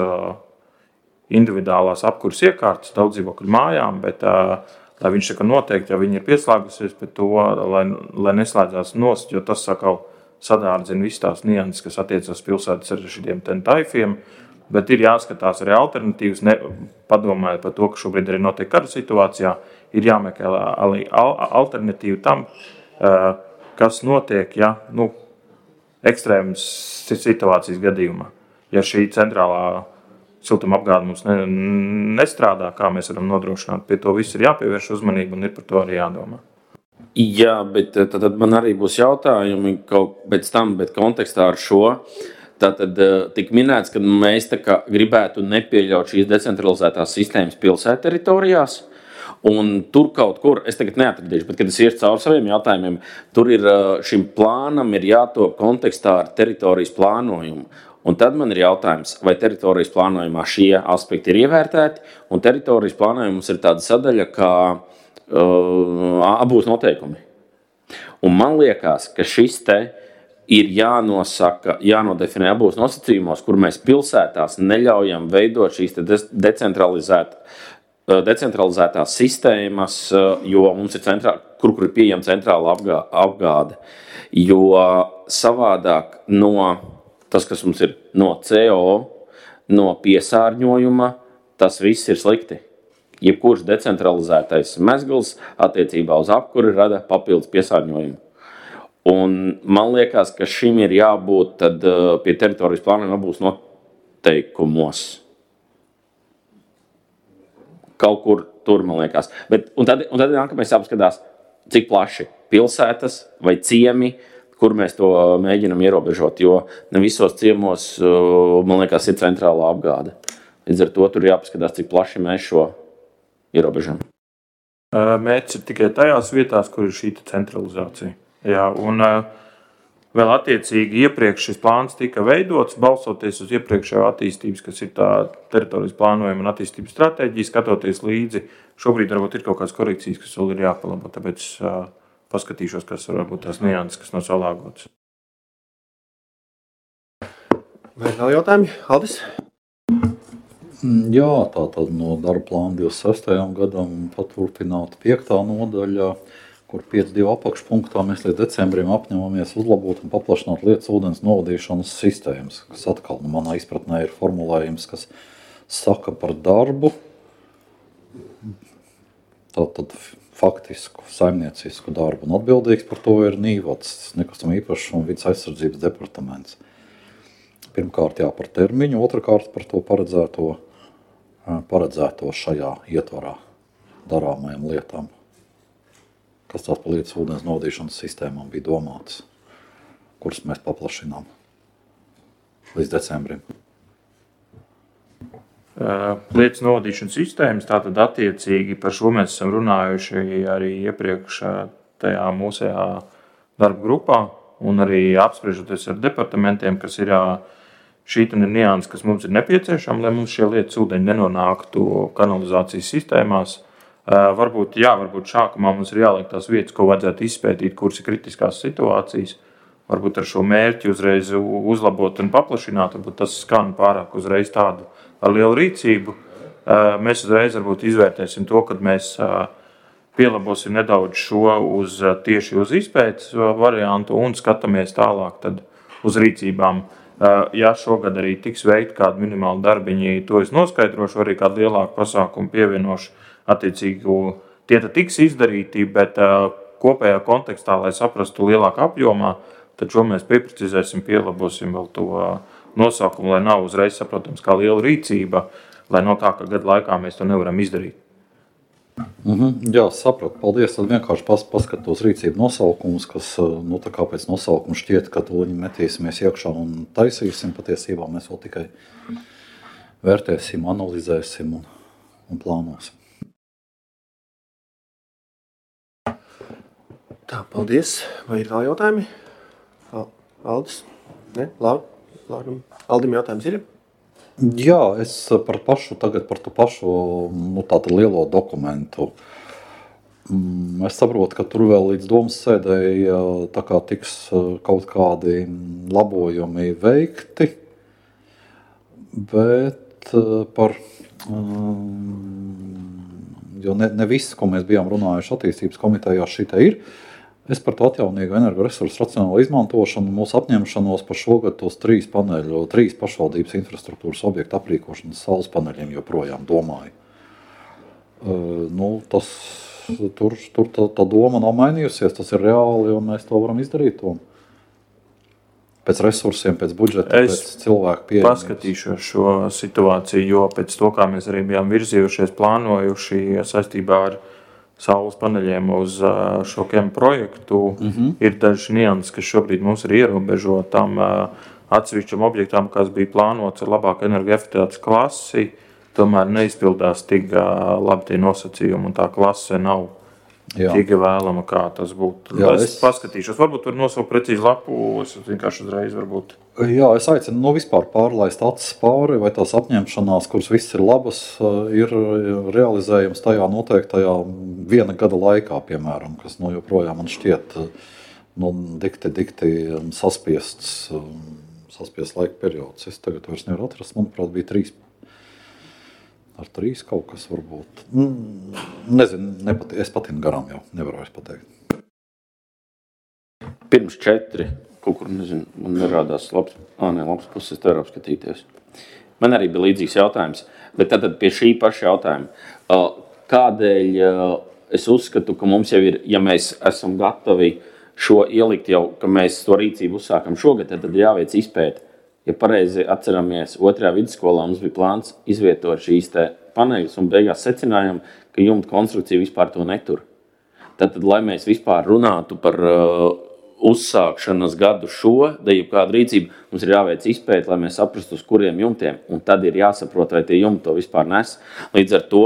individuālās apkuras iekārtas daudz dzīvokļu mājām, bet lai viņš noteikti, ja viņi ir pieslēgusies pie to, lai neslēdzās nost, jo tas sadārdzina visas tās nianses, kas attiecas pilsētas ar šiem taifiem, bet ir jāskatās arī alternatīvas, padomājot par to, ka šobrīd arī notiek kara situācijā, ir jāmeklē alternatīva tam, kas notiek, ja ekstrēmas situācijas gadījumā. Ja šī centrālā siltuma apgāde mums nestrādā, kā mēs varam nodrošināt, pie to viss ir jāpievērš uzmanība un ir par to arī jādomā. Jā, bet tad man arī būs jautājumi kaut pēc tam, bet kontekstā ar šo. Tātad tik minēts, ka mēs gribētu nepieļaut šīs decentralizētās sistēmas pilsētu teritorijās. Un tur kaut kur, es tagad neatradīšu, bet, kad es iešu cauri saviem jautājumiem, tur ir šim plānam ir jātop kontekstā ar teritorijas plānojumu. Un tad man ir jautājums, vai teritorijas plānojumā šie aspekti ir ievērtēti, un teritorijas plānojums ir tāda sadaļa, kā abūs noteikumi. Un man liekas, ka šis ir jānosaka, jānodefinē abūs nosacījumos, kur mēs pilsētās neļaujam veidot šīs decentralizētās sistēmas, jo mums ir kur ir pieejama centrāla apgāde. Jo savādāk tas, kas mums ir no CO, no piesārņojuma, tas viss ir slikti. Jebkurš decentralizētais mezgls attiecībā uz apkuri rada papildus piesārņojumu. Un man liekas, ka šim ir jābūt pie teritorijas plānojuma abūs noteikumos. Kaut kur tur, man liekas. Un tad nākamais jāpaskatās, cik plaši pilsētas vai ciemi, kur mēs to mēģinam ierobežot, jo ne visos ciemos, man liekas, ir centrālā apgāde. Līdz ar to tur jāpaskatās, cik plaši mēs šo ierobežam. Mērķis ir tikai tajās vietās, kur ir šī centralizācija. Jā, un vēl attiecīgi iepriekš šis plāns tika veidots, balstoties uz iepriekšējo attīstības, kas ir tā teritorijas plānojuma un attīstības stratēģija, skatoties līdzi. Šobrīd varbūt ir kaut kādas korekcijas, kas vēl ir jāpalabo, tāpēc paskatīšos, kas varbūt tās nianses, kas nav salāgotas. Vai vēl jautājumi? Aldis? Jā, tātad no darba plāna 26. gadam paturpināt 5. nodaļā, kur 5.2 apakšpunktā mēs līdz decembrim apņemamies uzlabot un paplašināt lietas ūdens novadīšanas sistēmas, kas atkal manā izpratnē ir formulējums, kas saka par darbu, tātad faktisku saimniecisku darbu, un atbildīgs par to ir Nīvats, nekustamā īpašuma un vides aizsardzības departaments. Pirmkārt par termiņu, otrkārt par to paredzēto šajā ietvarā darāmajām lietām, kas tās par lietas ūdens novadīšanas sistēmām bija domātas, kuras mēs paplašinām līdz decembrim. Lietas novadīšanas sistēmas, tātad attiecīgi par šo mēs esam runājuši arī iepriekš tajā mūsējā darba grupā un arī apspriežoties ar departamentiem, kas ir šī ir nianses, kas mums ir nepieciešama, lai mums šie lietas ūdeņi nenonāktu kanalizācijas sistēmās. Varbūt šākumā mums ir jāliek tās vietas, ko vajadzētu izpētīt, kuras ir kritiskās situācijas. Varbūt ar šo mērķi uzreiz uzlabot un paplašināt, varbūt tas skan pārāk uzreiz tādu ar lielu rīcību. Mēs uzreiz varbūt izvērtēsim to, kad mēs pielabosim nedaudz šo tieši uz izpētes variantu un skatāmies tālāk tad uz rīcībām. Ja šogad arī tiks veikt kādu minimālu darbiņu, to es noskaidrošu, arī kādu lielāku pasākumu pievienošu attiecīgi. Tie tad tiks izdarīti, bet kopējā kontekstā, lai saprastu lielākā apjomā, tad šo mēs pieprecizēsim, pielabosim vēl to nosaukumu, lai nav uzreiz saprotams kā liela rīcība, lai no tā, ka gadu laikā mēs to nevaram izdarīt. Jā, sapratu. Paldies. Tad vienkārši paskatos rīcību nosaukumus, kas tā kā pēc nosaukuma šķiet, ka to metīsimies iekšā un taisīsim. Patiesībā mēs vēl tikai vērtēsim, analizēsim un plānosim. Tā, paldies. Vai ir vēl jautājumi? Aldis? Ne? Labi. Aldim jautājums ir? Jā, es par to pašu tādu lielo dokumentu. Es saprotu, ka tur vēl līdz domas sēdēji tā kā tiks kaut kādi labojumi veikti, bet jo ne viss, ko mēs bijām runājuši attīstības komitejā, šitā ir. Es par to atjaunīgu energoresursu racionālu izmantošanu, mūsu apņemšanos par šogad tos 3 pašvaldības infrastruktūras objektu aprīkošanas saules paneļiem joprojām domāju. Tur tā doma nav mainījusies, tas ir reāli un mēs to varam izdarīt. Pēc resursiem, pēc budžeta, pēc cilvēku pieejamības. Paskatīšos šo situāciju, jo pēc to, kā mēs arī bijām virzījušies, plānojuši saistībā ar saules paneļiem uz šo KEM projektu, ir daži nianses, kas šobrīd mums ir ierobežo tam atsevišķam objektām, kas bija plānots ar labāku energoefektivitātes klasi, tomēr neizpildās tik labi tie nosacījumi, un tā klase nav tik vēlama, kā tas būtu. Jā, es paskatīšos, varbūt var nosaukt precīzi lapu, es vienkārši uzreiz varbūt. Jā, es aicinu vispār pārlaist acis pāri, vai tās apņemšanās, kuras viss ir labas, ir realizējams tajā noteiktajā 1 gada laikā, piemēram, kas joprojām man šķiet dikti saspiests laika periods. Es tagad vairs nevaru atrast, manuprāt, bija 3 kaut kas varbūt. Nezinu, es patinu garām jau, nevaru vairs pateikt. Pirms 4. Kaut kur, nezinu, man nerādās labs puses, es te varu apskatīties. Man arī bija līdzīgs jautājums, bet tad pie šī paša jautājuma. Kādēļ es uzskatu, ka mums jau ir, ja mēs esam gatavi šo ielikt jau, ka mēs to rīcību uzsākam šogad, tad jāveic izpēte. Ja pareizi atceramies, 2. vidusskolā mums bija plāns izvietot šīs te paneļus un beigās secinājām, ka jumta konstrukcija vispār to netur. Tad, lai mēs vispār runātu par uzsākšanas gadu jebkādu rīcību, mums ir jāveic izpēte, lai mēs saprastu, uz kuriem jumtiem, un tad ir jāsaprot, vai tie jumti to vispār nes. Līdz ar to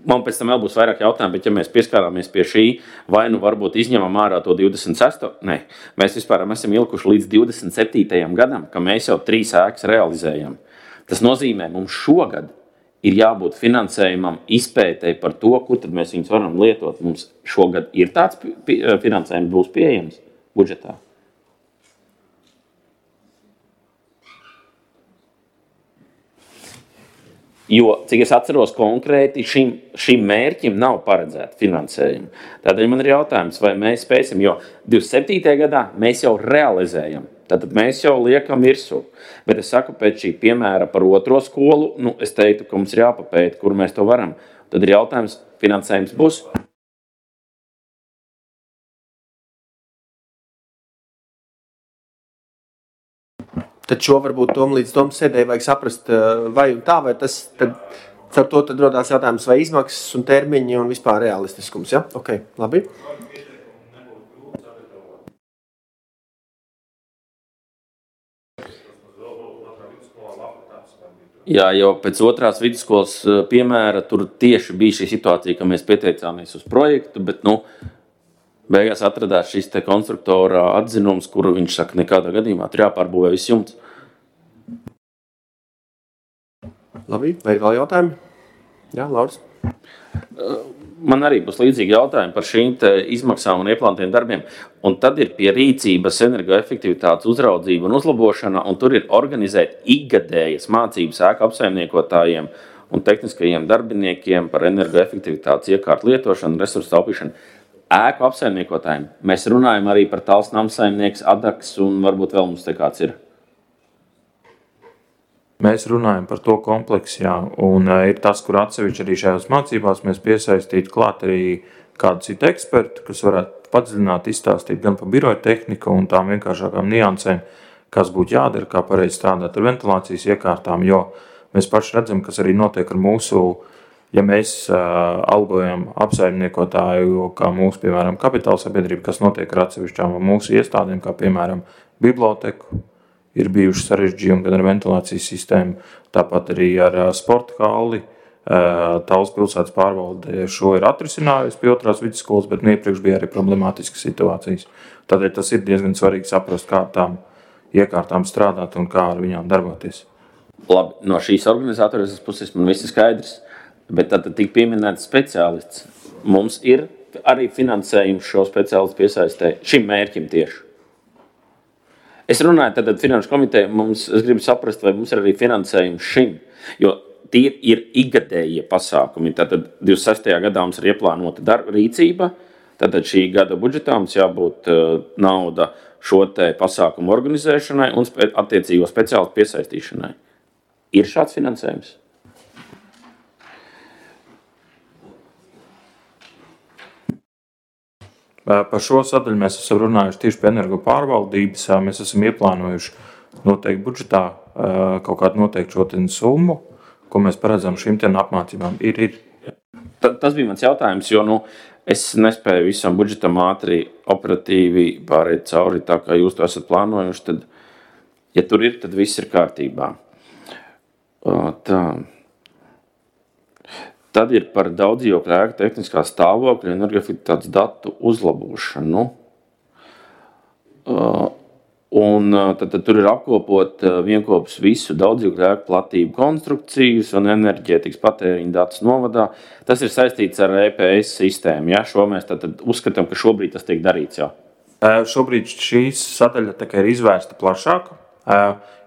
man pēc tam vēl būs vairāk jautājumu, bet ja mēs pieskārāmies pie šī, vai varbūt izņemam ārā to 26. Nē, mēs vispār esam ilikuši līdz 27. gadam, ka mēs jau 3 ēkas realizējam. Tas nozīmē, mums šogad ir jābūt finansējumam izpētei par to, kur tad mēs viņus varam lietot. Mums šogad ir tāds finansējums būs pieejams budžetā. Jo, cik es atceros konkrēti, šim mērķim nav paredzēta finansējuma. Tādēļ man ir jautājums, vai mēs spēsim, jo 27. gadā mēs jau realizējam. Tātad mēs jau liekam virsū. Bet es saku, pēc šī piemēra par 2. skolu, es teiktu, ka mums ir jāpapēta, kur mēs to varam. Tad ir jautājums, finansējums būs? Tad šo varbūt līdz domas sēdēji vajag saprast, vai un tā, vai tas tad ar to tad rodās jautājums, vai izmaksas un termiņi un vispār realistiskums, ja? Ok, labi. Jā, jau pēc 2. vidusskolas piemēra tur tieši bija šī situācija, ka mēs pieteicāmies uz projektu, bet, beigās atradās šis te konstruktora atzinums, kuru viņš saka, nekādā gadījumā tur jāpārbūvē viss jumts. Labi, vai ir vēl jautājumi? Jā, Lauris. Man arī būs līdzīgi jautājumi par šīm te izmaksām un ieplānotiem darbiem. Un tad ir pie rīcības energoefektivitātes uzraudzība un uzlabošana, un tur ir organizēt ikgadējas mācības ēku apsaimniekotājiem un tehniskajiem darbiniekiem par energoefektivitātes iekārtu lietošanu, resursu taupīšanu. Ēku apsaimniekotājiem. Mēs runājam arī par tāls namsaimnieks, adaks un varbūt vēl mums te kāds ir. Mēs runājam par to kompleksu, jā, un ir tas, kur atsevišķi arī šajās mācībās mēs piesaistītu klāt arī kādu citu ekspertu, kas varētu padziļināt, izstāstīt gan par biroja tehniku un tām vienkāršākām niansēm, kas būtu jādara, kā pareizi strādāt ar ventilācijas iekārtām, jo mēs paši redzam, kas arī notiek ar mūsu, ja mēs algojam apsaimniekotāju, kā mūsu, piemēram, kapitāla sabiedrība, kas notiek ar atsevišķām mūsu iestādēm, kā piemēram biblioteku, ir bijuši sarežģījumi gan ar ventilācijas sistēmu, tāpat arī ar sporta halli. Tallas pilsētas pārvalde šo ir atrisinājusi pie 2. vidusskolas, bet iepriekš bija arī problemātiskas situācijas. Tādēļ tas ir diezgan svarīgi saprast, kā tām iekārtām strādāt un kā ar viņām darboties. Labi, no šīs organizatoras puses man viss ir skaidrs, bet tad tik pieminēts speciālists. Mums ir arī finansējums šo speciālistu piesaistē šim mērķim tieši. Es runāju tad finanšu komiteju, es gribu saprast, vai mums ir arī finansējums šim, jo tie ir ikgadējie pasākumi. Tātad 26. gadā mums ir ieplānota rīcība, tātad šī gada budžetā mums jābūt nauda šo te pasākumu organizēšanai un attiecīgo speciālistu piesaistīšanai. Ir šāds finansējums? Par šo sadaļu mēs esam runājuši tieši pie energo pārvaldības. Mēs esam ieplānojuši noteikti budžetā kaut kādu noteiktu šo summu, ko mēs paredzam šīm apmācībām. Ir. Tas bija mans jautājums, jo es nespēju visam budžetam ātri operatīvi pārēt cauri, tā kā jūs to esat plānojuši. Tad, ja tur ir, tad viss ir kārtībā. Tā. Tad ir par daudzdzīvokļu ēku tehniskā stāvokļa un energoefektivitātes datu uzlabošanu. Un tad tur ir apkopot vienkopus visu daudzdzīvokļu ēku platību konstrukcijas un enerģētikas patēriņa datus novadā. Tas ir saistīts ar EPS sistēmu. Ja? Šo mēs tad uzskatām, ka šobrīd tas tiek darīts. Jā. Šobrīd šīs sadaļa ir izvērsta plašāk,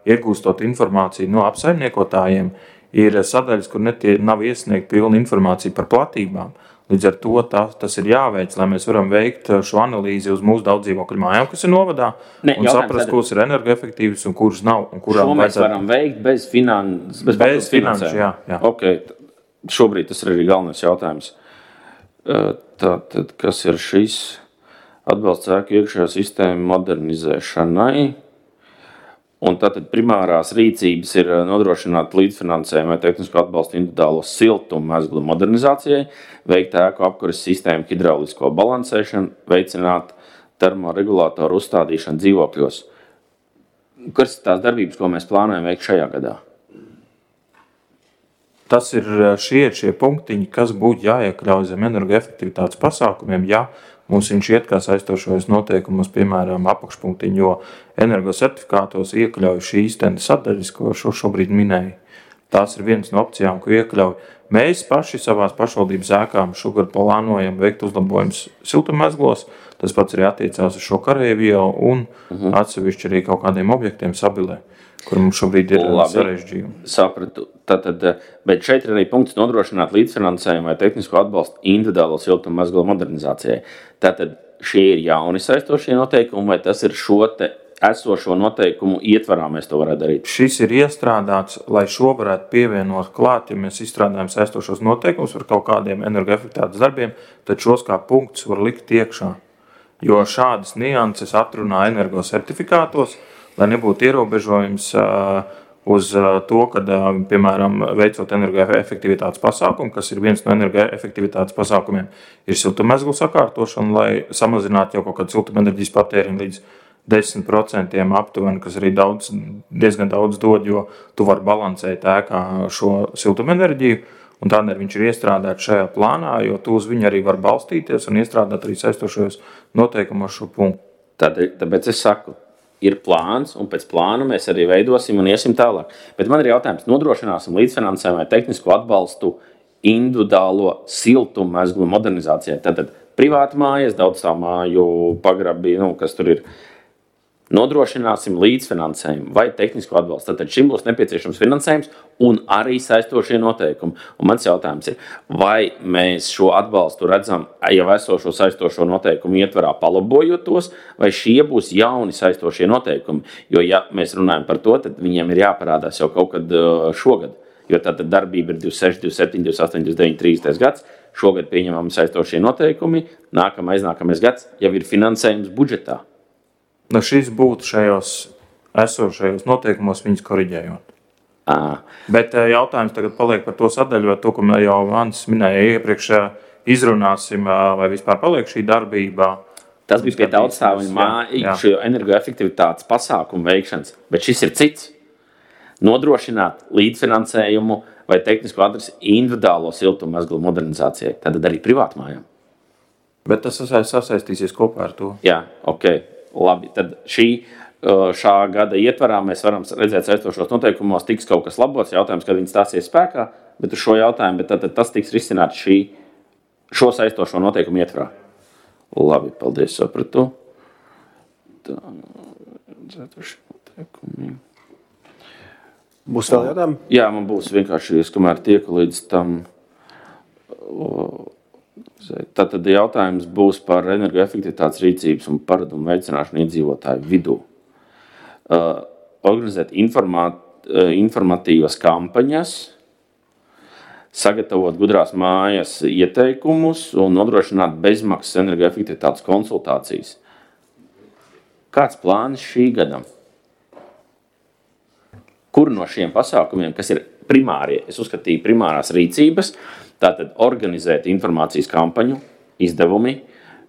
iegūstot informāciju no apsaimniekotājiem. Ir sadaļas, kur nav iesniegta pilna informācija par platībām. Līdz ar to tas ir jāveic, lai mēs varam veikt šo analīzi uz mūsu daudzdzīvokļu mājām, kas ir novadā, un saprast, kuras ir energoefektīvas un kuras nav. Un kurām šo mēs varam veikt bez finanšu, jā. Okay. Šobrīd tas ir arī galvenais jautājums. Tātad, kas ir šis atbalsts ēku iekšējā sistēma modernizēšanai? Un tātad primārās rīcības ir nodrošināt līdzfinansējumu vai tehnisko atbalstu individuālo siltumu mezglu modernizācijai, veikt ēku apkures sistēmu hidraulisko balansēšanu, veicināt termoregulātoru uzstādīšanu dzīvokļos. Kas ir tās darbības, ko mēs plānojam veikt šajā gadā? Tas ir šie punktiņi, kas būtu jāiekļauj zem energoefektivitātes pasākumiem, ja mums viņš iet kā saistošos noteikumos, piemēram, apakšpunktiņu, jo energosertifikātos iekļauj šīs sadaļas, ko šobrīd minēju. Tās ir viens no opcijām, ko iekļauj. Mēs paši savās pašvaldības ēkām šogad plānojam veikt uzlabojumus siltummezglos. Tas pats arī attiecās uz šo karēvielu un atsevišķi arī kaut kādiem objektiem Sabilē, kur mums šobrīd ir sarežģījumi. Sapratu. Bet šeit ir arī punkts nodrošināt līdzfinansējumu vai tehnisko atbalstu individuālo siltummezglu modernizācijai. Tātad šie ir jauni saistošie noteikumi, vai tas ir šo te esošo noteikumu ietvarā mēs to varētu darīt? Šis ir iestrādāts, lai šo varētu pievienot klāt, ja mēs izstrādājam saistošos noteikumus par kaut kādiem energoefektivitātes darbiem, tad šos kā punktus var likt iekšā. Jo šādas nianses atrunā energosertifikātos, lai nebūtu ierobežojums uz to, kad, piemēram, veicot energoefektivitātes pasākumu, kas ir viens no energoefektivitātes pasākumiem, ir siltummezglu sakārtošana, lai samazinātu jau kaut kādu siltumenerģijas patēriņu līdz 10% aptuveni, kas arī diezgan daudz dod, jo tu vari balansēt ēkā šo siltumenerģiju, un tādēļ viņš ir iestrādāts šajā plānā, jo tu uz viņu arī var balstīties un iestrādāt arī saistošajos noteikumos šo punktu. Tāpēc es saku, ir plāns, un pēc plāna mēs arī veidosim un iesim tālāk. Bet man ir jautājums, nodrošināsim līdzfinansējumu vai tehnisko atbalstu individuālo siltummezglu modernizācijai. Tātad privāti mājas, daudzstāvmāju pagrabi, kas tur ir. Nodrošināsim līdzfinansējumu vai tehnisko atbalstu. Tātad šim būs nepieciešams finansējums un arī saistošie noteikumi. Un mans jautājums ir, vai mēs šo atbalstu redzam jau esošo saistošo noteikumu ietvarā palabojot tos, vai šie būs jauni saistošie noteikumi? Jo, ja mēs runājam par to, tad viņiem ir jāparādās jau kaut kad šogad. Jo tātad darbība ir 26, 27, 28, 29, 30 gads. šogad pieņemami saistošie noteikumi, aiznākamais gads jau ir finansējums budžetā. Nu, šis būtu šajos esošajos noteikumos viņus koriģējot. Bet jautājums tagad paliek par to sadaļu, vai to, ko jau Mans minēja iepriekš, izrunāsim, vai vispār paliek šī darbībā. Tas bija pie daudzstāvju māju energoefektivitātes pasākumu veikšanas, bet šis ir cits. Nodrošināt līdzfinansējumu vai tehnisko adresi individuālo siltummezglu modernizācijai, tad arī privātmājām. Bet tas sasaistīsies kopā ar to. Jā, ok, labi. Tad šā gada ietvarā mēs varam redzēt saistošos noteikumos, tiks kaut kas labots, jautājums, kad viņi stāsies spēkā, bet uz šo jautājumu, bet tad tas tiks risināts šo saistošo noteikumu ietvarā. Labi, paldies, sapratu. Tā, saistošie noteikumi. Būs vēl jautājumi? Jā, man būs vienkārši, kamēr tieku līdz tam. Tātad jautājums būs par energoefektivitātes rīcības un paradumu veicināšanu iedzīvotāju vidū. Organizēt informatīvas kampaņas, sagatavot gudrās mājas ieteikumus un nodrošināt bezmaksas energoefektivitātes konsultācijas. Kāds plāns šī gadam? Kur no šiem pasākumiem, kas ir primārie, es uzskatīju primārās rīcības, tātad organizēt informācijas kampaņu, izdevumi.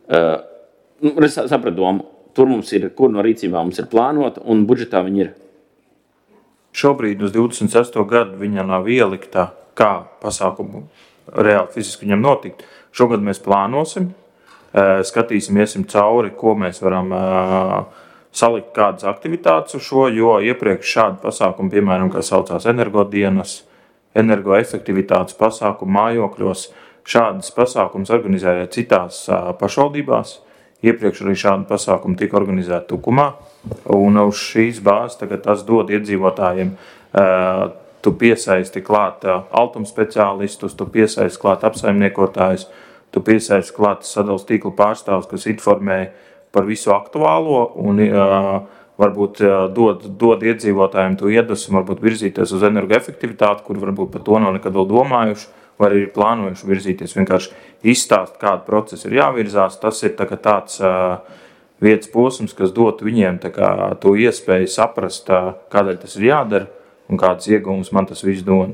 Es sapratu domu, tur mums ir, kur no rīcībām mums ir plānota un budžetā viņi ir. Šobrīd uz 26. gadu viņa nav ielikta, kā pasākumu reāli fiziski viņam notikt. Šogad mēs plānosim, skatīsim, iesim cauri, ko mēs varam salikt kādas aktivitātes uz šo, jo iepriekš šādi pasākumi, piemēram, kā saucās energodienas, energoefektivitātes pasākumu mājokļos, šādas pasākumus organizēja citās pašvaldībās. Iepriekš arī šādi pasākumi tika organizēti Tukumā, un uz šīs bāzes tagad tas dod iedzīvotājiem. Tu piesaisti klāt altumspeciālistus, tu piesaisti klāt apsaimniekotājus, tu piesaisti klāt sadales tīklu pārstāvus, kas informē par visu aktuālo un varbūt dod iedzīvotājiem to iedvesmu, varbūt virzīties uz energoefektivitāti, kur varbūt par to nav nekad vēl domājuši, vai arī plānojuši virzīties. Vienkārši izstāst, kāda procesa ir jāvirzās. Tas ir tāds vietas posms, kas dot viņiem to iespēju saprast, kādēļ tas ir jādara un kādas iegūmas man tas viss dod.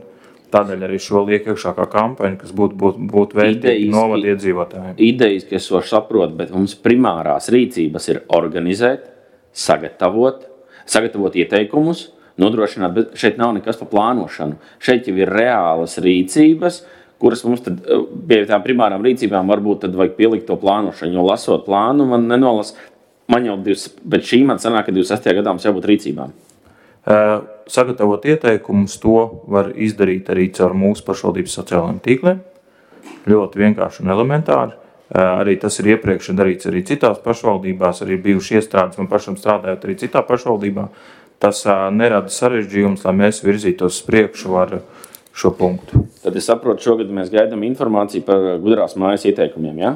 Tādēļ arī šo liek iekšā kā kampaņa, kas būtu vērtīgi novada iedzīvotājiem. Idejas, ka es to saprotu, bet mums primārās rīcības ir organizēt, sagatavot ieteikumus, nodrošināt, bet šeit nav nekas par plānošanu. Šeit jau ir reālas rīcības, kuras mums tad pie tām primārām rīcībām varbūt tad vajag pielikt to plānošanu, jo lasot plānu man nenolas, bet šī man sanāk, ka 26. gadā mums jābūt rīcībām. Sagatavot ieteikumus, to var izdarīt arī caur mūsu pašvaldības sociālajiem tīkliem. Ļoti vienkārši un elementāri. Arī tas ir iepriekš darīts arī citās pašvaldībās, arī bijuši iestrādes man pašam strādājot arī citā pašvaldībā. Tas nerada sarežģījums, lai mēs virzītos uz priekšu ar šo punktu. Tad es saprotu, šogad mēs gaidām informāciju par gudrās mājas ieteikumiem, jā?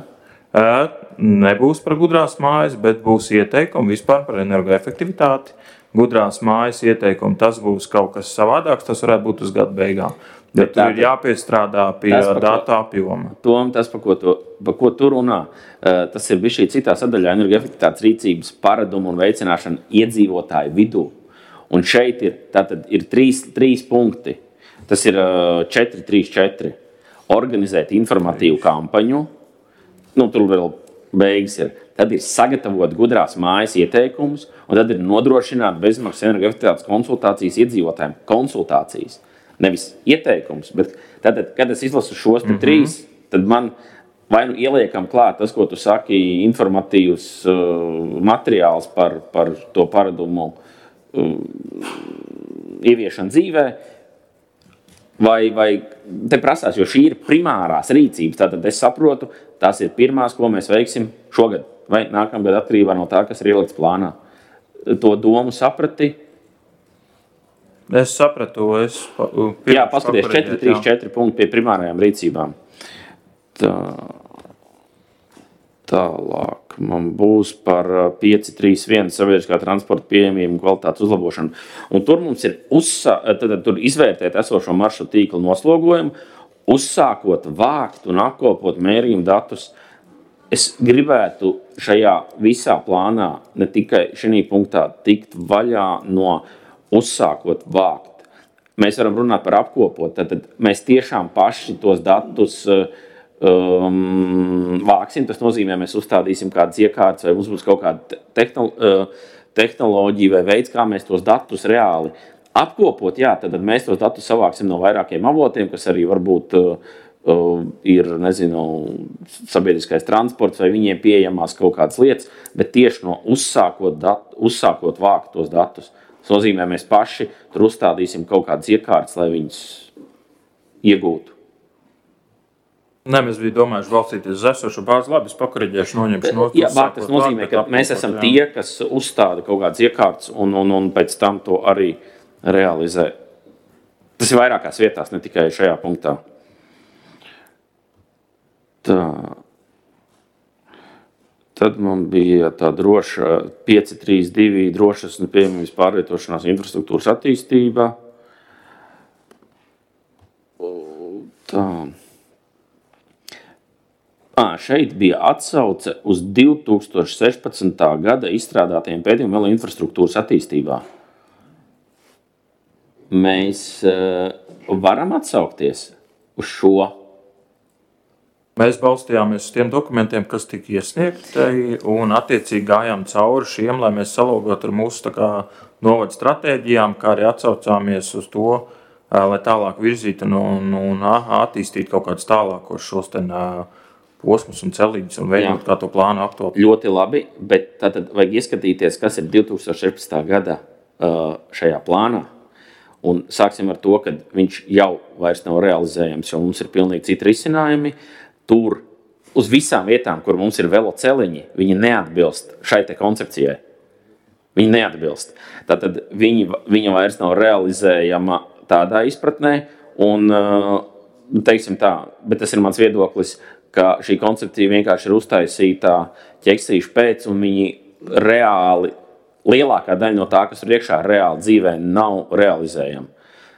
Nebūs par gudrās mājas, bet būs ieteikumi vispār par energoefektivitāti. Gudrās mājas ieteikumi, tas būs kaut kas savādāks, tas varētu būt uz gada beigām. Bet tur ir jāpiestrādā pie datu apjoma. Tas, par ko tu runā, tas ir šī citā sadaļā energoefektivitātes rīcības paradumu un veicināšana iedzīvotāju vidū. Un šeit ir trīs punkti. Tas ir 4-3-4. Organizēt informatīvu kampaņu. Tur vēl beigas ir. Tad ir sagatavot gudrās mājas ieteikumus, un tad ir nodrošināt bezmaksas energoefektivitātes konsultācijas iedzīvotājiem. Konsultācijas. Nevis ieteikums, bet tad, kad es izlasu šos trīs, tad man vai nu ieliekam klāt tas, ko tu saki, informatīvs materiāls par to paradumu ieviešanu dzīvē, vai te prasās, jo šī ir primārās rīcības. Tātad es saprotu, tās ir pirmās, ko mēs veiksim šogad vai nākamgad atkarībā no tā, kas ir ielikts plānā. To domu saprati? Es sapratu. Jā, paskaties, 4-3-4 punkti pie primārajām rīcībām. Tālāk man būs par 5-3-1 sabiedriskā transporta pieejamību un kvalitātes uzlabošanu. Un tur mums ir tur izvērtēt esošo maršrutu tīklu noslogojumu uzsākot vākt un apkopot mērījumu datus, es gribētu šajā visā plānā ne tikai šī punktā tikt vaļā no uzsākot vākt. Mēs varam runāt par apkopot, tad mēs tiešām paši tos datus vāksim. Tas nozīmē, mēs uzstādīsim kādas iekārtas vai mums būs kaut kāda tehnoloģija vai veids, kā mēs tos datus reāli apkopot. Jā, tad mēs tos datus savāksim no vairākiem avotiem, kas arī varbūt ir, nezinu, sabiedriskais transports vai viņiem pieejamās kaut kādas lietas, bet tieši no uzsākot vākt tos datus. Tas nozīmē, mēs paši tur uzstādīsim kaut kādas iekārtas, lai viņus iegūtu. Nē, mēs bijām domājuši balstīties uz esošo bāzi. Labi, es pakoriģēšu, noņemšu no Jā, tas nozīmē, ka mēs esam tie, kas uzstāda kaut kādas iekārtas un pēc tam to arī realizē. Tas ir vairākās vietās, ne tikai šajā punktā. Tā. Tad man bija tā droša 532 drošas un pieejamības pārvietošanās infrastruktūras attīstība. Tā. Šeit bija atsauce uz 2016. gada izstrādātajiem pētījumiem vēl infrastruktūras attīstībā. Mēs varam atsaukties uz šo. Mēs balstījāmies uz tiem dokumentiem, kas tika iesniegti, un attiecīgi gājām cauri šiem, lai mēs salogotu ar mūsu novada stratēģijām, kā arī atsaucāmies uz to, lai tālāk virzītu un attīstītu kaut kādus tālākos šos posmus un celīņus un veidot kā to plānu aktuāli. Ļoti labi, bet tātad vajag ieskatīties, kas ir 2016. gada šajā plānā. Un sāksim ar to, ka viņš jau vairs nav realizējams, jo mums ir pilnīgi citi risinājumi. Tur uz visām vietām, kur mums ir veloceliņi, viņi neatbilst šai te koncepcijai. Viņi neatbilst. Tātad viņa vairs nav realizējama tādā izpratnē, un, teiksim tā, bet tas ir mans viedoklis, ka šī koncepcija vienkārši ir uztaisītā ķeksīšu pēc, un viņi reāli, lielākā daļa no tā, kas ir iekšā reāli dzīvē, nav realizējama.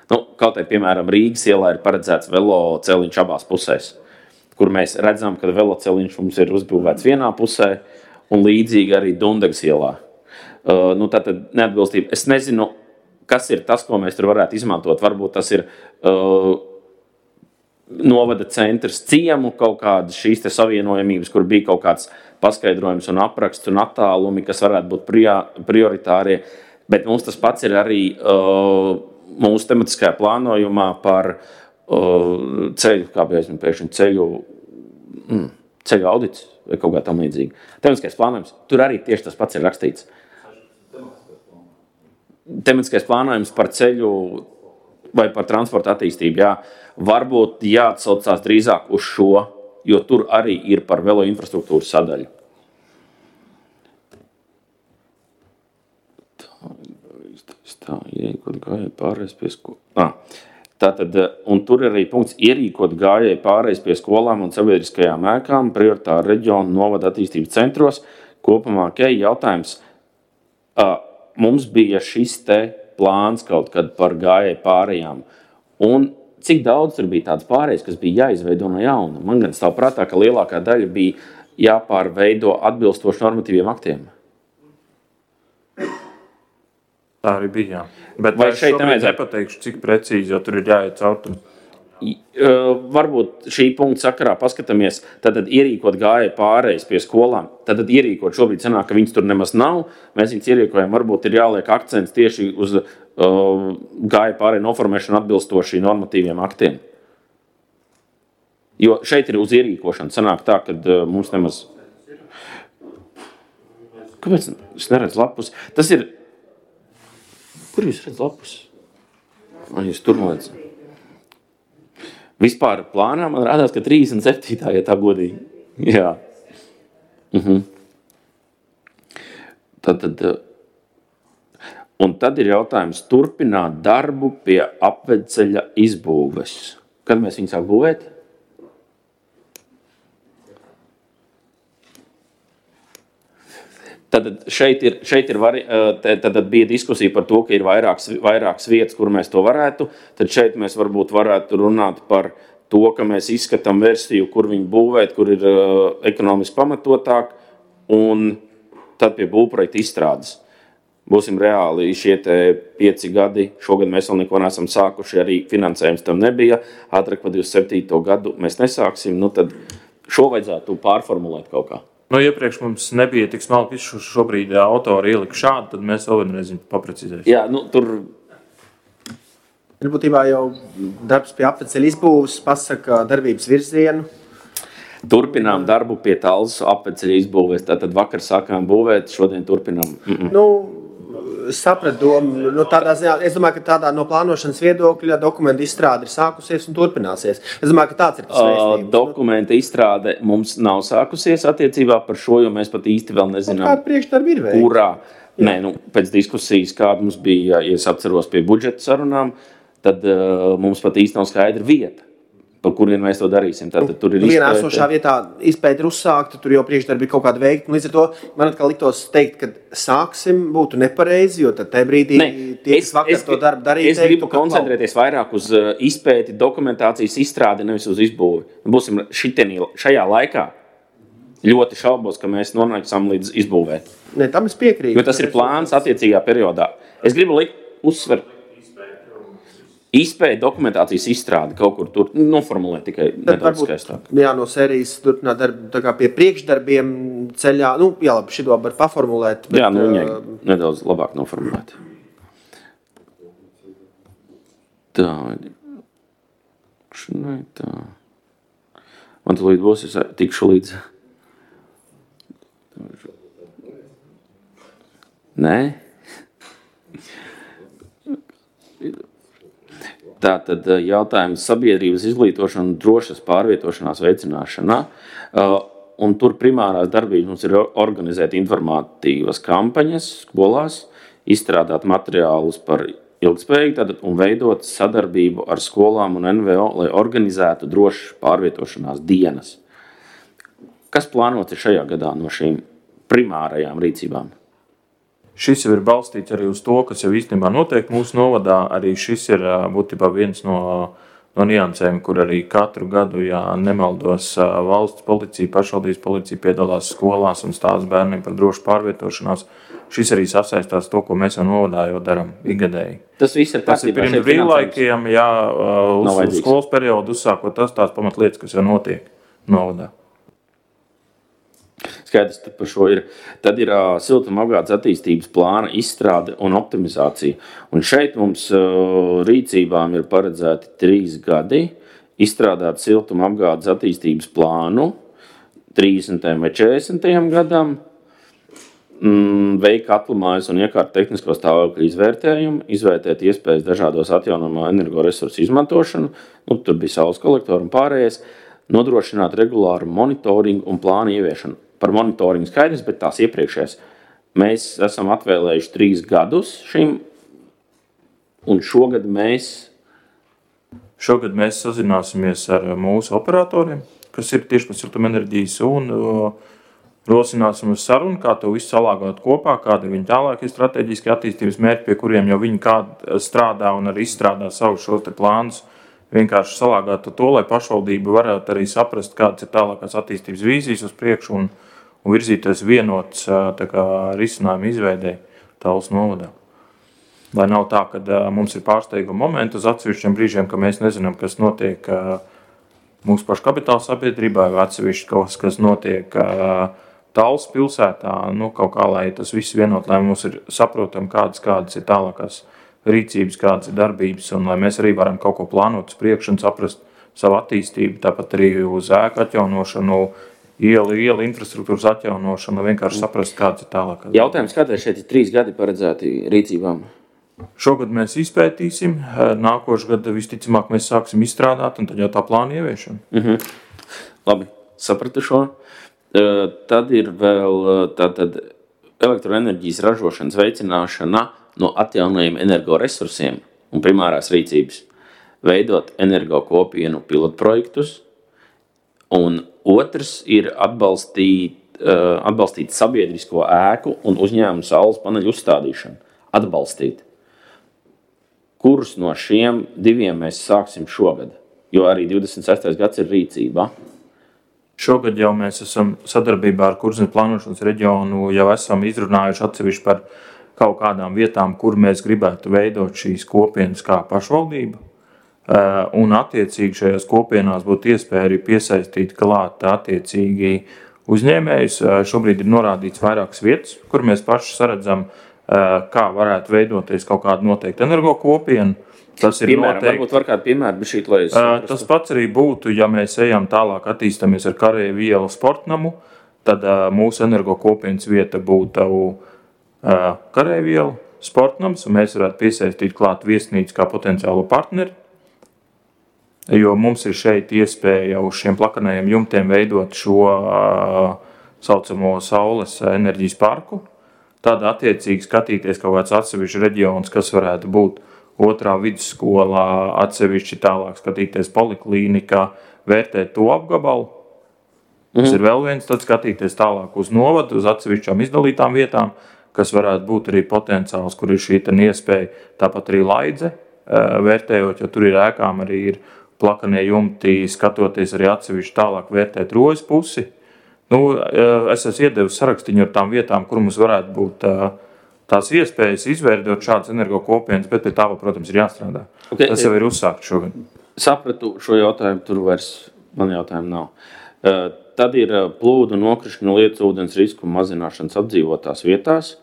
Kaut vai, piemēram, Rīgas ielā ir paredzēts veloceliņš abās pusēs, kur mēs redzam, ka veloceliņš mums ir uzbūvēts vienā pusē, un līdzīgi arī Dundagas ielā. Tātad neatbilstība. Es nezinu, kas ir tas, ko mēs tur varētu izmantot. Varbūt tas ir novada centrs ciemu, kaut kādas šīs te savienojamības, kur bija kaut kāds paskaidrojums un apraksts un attālumi, kas varētu būt prioritārie. Bet mums tas pats ir arī mūsu tematiskajā plānojumā par ceļu, kā bija aizmēr pēkšņi ceļu audits vai kaut kā tam līdzīgi. Tematiskais plānojums, tur arī tieši tas pats ir rakstīts. Tematiskais plānojums par ceļu vai par transporta attīstību, jā. Varbūt jāatsaucās drīzāk uz šo, jo tur arī ir par velo infrastruktūras sadaļu. Tā, ierīkot gājēju pārējais pie skolām. Tātad, un tur ir arī punkts ierīkot gājēju pārējais pie skolām un sabiedriskajām ēkām, prioritāri reģionu novada attīstības centros. Kopumā, jautājums, mums bija šis te plāns kaut kad par gājēju pārējām. Un cik daudz tur bija tāds pārējais, kas bija jāizveido no jauna? Man gan stāv prātā, ka lielākā daļa bija jāpārveido atbilstoši normatīviem aktiem. Tā arī bija, jā. Bet vai es šobrīd nepateikšu, cik precīzi, jo tur ir jāiet caur. Varbūt šī punkta sakarā paskatāmies, tad ierīkot gājēju pārējais pie skolām, tad ierīkot šobrīd sanāk, ka viņas tur nemaz nav, mēs viņas ierīkojam, varbūt ir jāliek akcents tieši uz gājēju pārēju noformēšanu atbilstoši normatīviem aktiem. Jo šeit ir uz ierīkošanu, sanāk tā, ka mums nemaz... Kāpēc es neredzu lapus? Tas ir... Kur jūs redz lapus? Jūs tur nolēdz. Vispār plānā man rādās, ka 37. ja tā godīgi. Jā. Un tad ir jautājums turpināt darbu pie apvedceļa izbūves. Kad mēs viņu sāk būvēt? Tad šeit bija diskusija par to, ka ir vairākas vietas, kur mēs to varētu. Tad šeit mēs varbūt varētu runāt par to, ka mēs izskatām versiju, kur viņu būvēt, kur ir ekonomiski pamatotāk, un tad pie būvprojekta izstrādes. Būsim reāli šie 5 gadi, šogad mēs vēl neko neesam sākuši, arī finansējums tam nebija, ātrāk pa 27. gadu mēs nesāksim, tad šo vajadzētu pārformulēt kaut kā. Iepriekš mums nebija tik smalki šobrīd autori ielika šādi, tad mēs vēl vienreiz paprecizēsim. Jā, tur... Ir būtībā jau darbs pie apveceļa izbūves, pasaka darbības virzienu. Turpinām darbu pie Tallas apveceļa izbūves. Tātad vakar sākām būvēt, šodien turpinām. Sapratu domu. Tādā ziņā, es domāju, ka tādā no plānošanas viedokļa dokumenta izstrāde ir sākusies un turpināsies. Es domāju, ka tāds ir tas vēstījums. Dokumenta izstrāde mums nav sākusies attiecībā par šo, jo mēs pat īsti vēl nezinām, kāda priekšdarba ir veikta. Kurā. Nē, pēc diskusijas, kāda mums bija, ja es atceros pie budžeta sarunām, tad mums pat īsti nav skaidra vieta, par kurien mēs to darīsim. Tad tur ir vienā esošā vietā izpēta ir uzsākta, tur jau priekšdarbi ir kaut kāda veikta. Līdz ar to man atkal liktos teikt, ka sāksim būtu nepareizi, jo tad tajā brīdī tie, kas vakar to darbu darīja, es gribu koncentrēties vairāk uz izpēti, dokumentācijas izstrādi, nevis uz izbūvi. Būsim šajā laikā ļoti šaubos, ka mēs nonāksim līdz izbūvē. Ne, tam es piekrītu. Jo tas ir plāns attiecīgā periodā. Es gribu uzsvert. Izpēja dokumentācijas izstrādi kaut kur tur noformulēt tikai nedaudz skaistāk. Jā, no sērijas turpināt darbu tā kā pie priekšdarbiem ceļā. Jā, labi, šito var paformulēt. Bet, jā, viņai nedaudz labāk noformulēt. Tā. Man tu līdz būs, es tikšu līdz. Nē? Tātad jautājums sabiedrības izglītošana un drošas pārvietošanās veicināšanā. Un tur primārās darbības mums ir organizēt informatīvas kampaņas skolās, izstrādāt materiālus par ilgspējīgu un veidot sadarbību ar skolām un NVO, lai organizētu drošas pārvietošanās dienas. Kas plānots ir šajā gadā no šīm primārajām rīcībām? Šis jau ir balstīts arī uz to, kas jau īstenībā notiek mūsu novadā. Arī šis ir būtībā viens no niansēm, kur arī katru gadu, ja nemaldos, valsts policija, pašvaldības policija piedalās skolās un stāsta bērniem par drošu pārvietošanās. Šis arī sasaistās to, ko mēs jau novadā jau darām ikgadēji. Tas viss ir pirms brīvlaikiem, jā, uz skolas periodu uzsākot tās pamatlietas, kas jau notiek novadā. Skaidrs par šo ir. Tad ir siltumapgādes attīstības plāna izstrāde un optimizācija. Un šeit mums rīcībām ir paredzēti 3 gadi izstrādāt siltumapgādes attīstības plānu 30. vai 40. gadam, veikt atlamājas un iekārt tehnisko stāvokļu izvērtējumu, izvērtēt iespējas dažādos atjaunojamo energoresursu izmantošanu, tur bija saules kolektori un pārējais, nodrošināt regulāru monitoringu un plānu ieviešanu. Par monitoringu skaidrs, bet tās iepriekšējās. Mēs esam atvēlējuši 3 gadus šim, un šogad mēs sazināsimies ar mūsu operatoriem, kas ir tieši par siltumenerģijas, un rosināsim uz sarunu, kā to visu salāgot kopā, kāda ir viņa tālākie strateģiskie attīstības mērķi, pie kuriem jau viņi strādā un arī izstrādā savus šos te plānus. Vienkārši salāgāt to, lai pašvaldība varētu arī saprast, kādas ir tālākās attīstības vīzijas uz priekšu un virzīties vienots risinājumu izveidē Tallas novadā. Lai nav tā, ka mums ir pārsteiguma momenti uz atsevišķiem brīžiem, ka mēs nezinām, kas notiek mūsu pašu kapitāla sabiedrībā, vai atsevišķi kaut kas notiek Tallas pilsētā, kaut kā, lai tas viss vienot, lai mums ir saprotam, kādas ir tālākās rīcības, kādas ir darbības, un lai mēs arī varam kaut ko plānot uz priekšu un saprast savu attīstību, tāpat arī uz ēku atjaunošanu, ielu infrastruktūras atjaunošanu, vienkārši saprast, kādas ir tālākās. Jautājums, kādēļ šeit ir 3 gadi paredzēti rīcībām? Šogad mēs izpētīsim, nākošu gadu visticamāk mēs sāksim izstrādāt, un tad jau tā plāna ieviešana. Labi, sapratu šo. Tad ir vēl tātad elektroenerģijas ražošanas veicināšana no atjaunojumiem energoresursiem un primārās rīcības, veidot energo kopienu pilotprojektus, un otrs ir atbalstīt sabiedrisko ēku un uzņēmumu saules paneļu uzstādīšanu. Atbalstīt. Kurus no šiem 2 mēs sāksim šogad? jo arī 26. gads ir rīcībā. Šogad jau mēs esam sadarbībā ar Kurzemes plānošanas reģionu jau esam izrunājuši atsevišķi par kaut kādām vietām, kur mēs gribētu veidot šīs kopienas kā pašvaldība. Un attiecīgi šajās kopienās būtu iespēja arī piesaistīt klāt attiecīgi uzņēmējus. Šobrīd ir norādīts vairākas vietas, kur mēs paši saredzam, kā varētu veidoties kaut kāda noteikta energo kopiena. Tas ir Piemēram, noteikti. varbūt var kādu piemēru, bet šīt, lai es Tas pats arī būtu, ja mēs ejam tālāk attīstamies ar Karēju ielu sportnamu, tad mūsu energo kopienas vieta būtu Karēju ielu sportnams, un mēs varētu piesaistīt klāt viesnīcu kā potenciālo partneri, jo mums ir šeit iespēja uz šiem plakanajiem jumtiem veidot šo saucamo saules enerģijas parku, tad attiecīgi skatīties kaut kāds atsevišķi reģions, kas varētu būt otrā vidusskolā, atsevišķi tālāk skatīties poliklīnikā, vērtēt to apgabalu. Tas ir vēl viens, tad skatīties tālāk uz novadu, uz atsevišķām izdalītām vietām, kas varētu būt arī potenciāls, kur ir šī iespēja, tāpat arī Laidze, vērtējot, jo tur ir ēkām arī ir plakanie jumti, skatoties arī atsevišķi tālāk vērtēt Rojas pusi. Es esmu iedevis sarakstiņu ar tām vietām, kur mums varētu būt tās iespējas izveidot šādas energo kopienas, bet pie tā, protams, ir jāstrādā. Okay. Tas jau ir uzsākts šogad. Sapratu šo jautājumu, tur vairs man jautājumu nav. Tad ir plūdu nokrišņu lietas ūdens risku mazināšanas apdzīvotās vietās,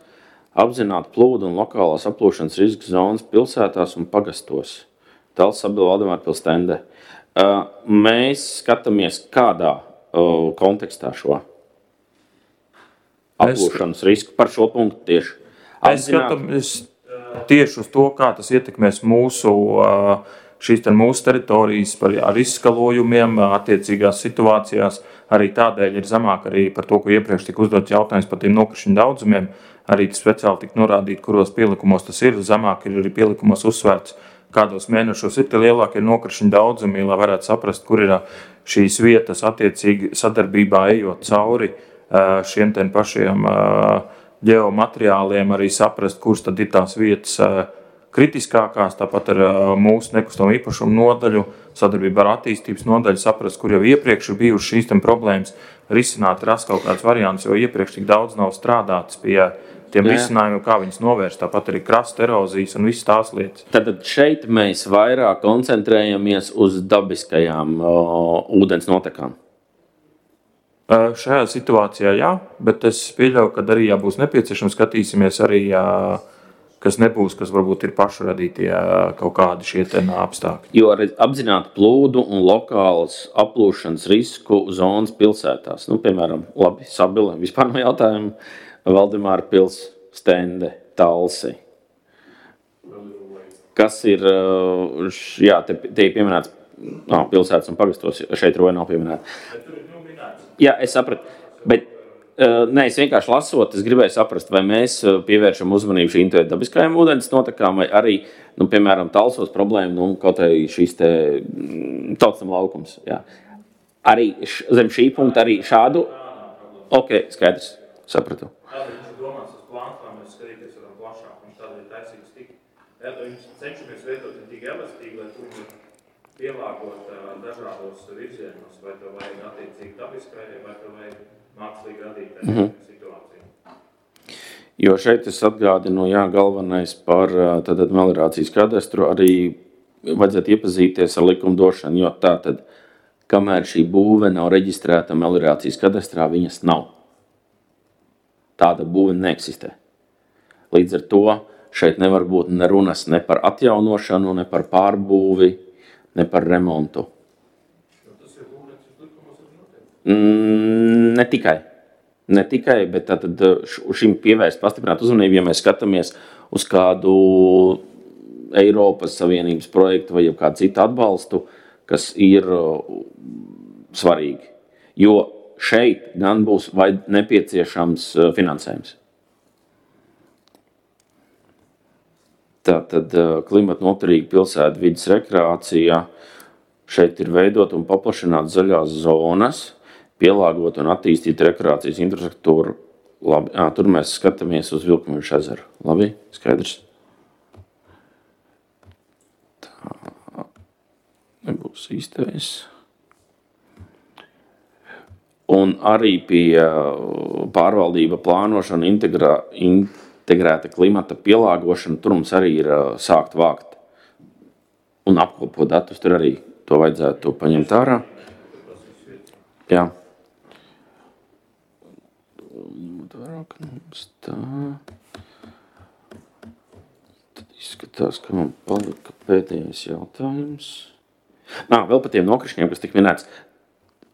apzināti plūdu un lokālās aplūšanas riska zonas pilsētās un pagastos. Tals Sabila Valdemāra pilstende. Mēs skatāmies kādā kontekstā šo aplūšanas risku par šo punktu tieši. Es skatāmies tieši uz to, kā tas ietekmēs šīs mūsu teritorijas ar izskalojumiem, attiecīgās situācijās. Arī tādēļ ir zemāk arī par to, ko iepriekš tika uzdots jautājums par tiem nokrišņu daudzumiem. Arī speciāli tika norādīt, kuros pielikumos tas ir. Zemāk ir arī pielikumos uzsvērts, kādos mēnešos ir tie lielākie nokrišņu daudzumi, lai varētu saprast, kur ir šīs vietas attiecīgi sadarbībā ejot cauri šiem pašiem ģeomateriāliem, arī saprast, kuras tad ir tās vietas kritiskākās, tāpat ar mūsu nekustamo īpašumu nodaļu, sadarbībā ar attīstības nodaļu, saprast, kur jau iepriekš ir bijušas šīs problēmas, risināt, rast kaut kāds variants, jo iepriekš tik daudz nav strādāts pie tiem risinājumiem, kā viņas novērst, tāpat arī krasta erozijas un visas tās lietas. Tad šeit mēs vairāk koncentrējamies uz dabiskajām ūdens notekām. Šajā situācijā jā, bet es pieļauju, ka arī, ja būs nepieciešams, skatīsimies arī, kas nebūs, kas varbūt ir pašu radītie kaut kādi šie apstākļi. Jo apzināti plūdu un lokālas aplūšanas risku zonas pilsētās, piemēram, labi, Sabile, vispār no jautājumu, Valdemāra pils, stende, Talsi. Kas ir, jā, te ir pieminēts pilsētas un pagastos, šeit Roja nav pieminēta. Jā, es sapratu, bet es vienkārši lasot, es gribēju saprast, vai mēs pievēršam uzmanību šīm dabiskajām ūdens notekām, vai arī, piemēram, Talsos problēma, kaut arī šīs tautsam laukums. Jā. Arī zem šī punkta arī šādu, skaidrs, sapratu. Tādēļ viņš ir domāts uz plāns, lai mēs skatīties varam plašāk, viņš tādēļ taisīgs tik. Viņš cenšamies veidot ne tik elastīgi, lai tur pielāgot dažādos virzienos, vai to vajag attiecīgi dabiskai, vai to vajag mākslīgi radītai situāciju. Jo šeit es atgādinu, galvenais par meliorācijas kadastru arī vajadzētu iepazīties ar likumdošanu, jo tātad, kamēr šī būve nav reģistrēta meliorācijas kadastrā, viņas nav. Tāda būve neeksistē. Līdz ar to šeit nevar būt nerunas ne par atjaunošanu, ne par pārbūvi, ne par remontu. Tas ir būvniecības likumos arī noteikti? Ne tikai, bet tātad šim pievērst pastiprināt uzmanību, ja mēs skatāmies uz kādu Eiropas Savienības projektu vai kādu citu atbalstu, kas ir svarīgi. Jo šeit gan būs nepieciešams finansējums. Tātad klimata noturīga pilsēta vides rekreācija. Šeit ir veidot un paplašināt zaļās zonas, pielāgot un attīstīt rekreācijas infrastruktūru. Labi, tur mēs skatāmies uz Vilkmeža ezeru. Labi, skaidrs. Tā nebūtu. būs īstais. Un arī pie pārvaldība plānošana, integrēta klimata pielāgošana, tur mums arī ir sākt vākt un apkopot datus, tur arī to vajadzētu paņemt ārā. Jā. Tad izskatās, ka man palika pēdējais jautājums. Vēl par tiem nokrišņiem, kas tik minēts.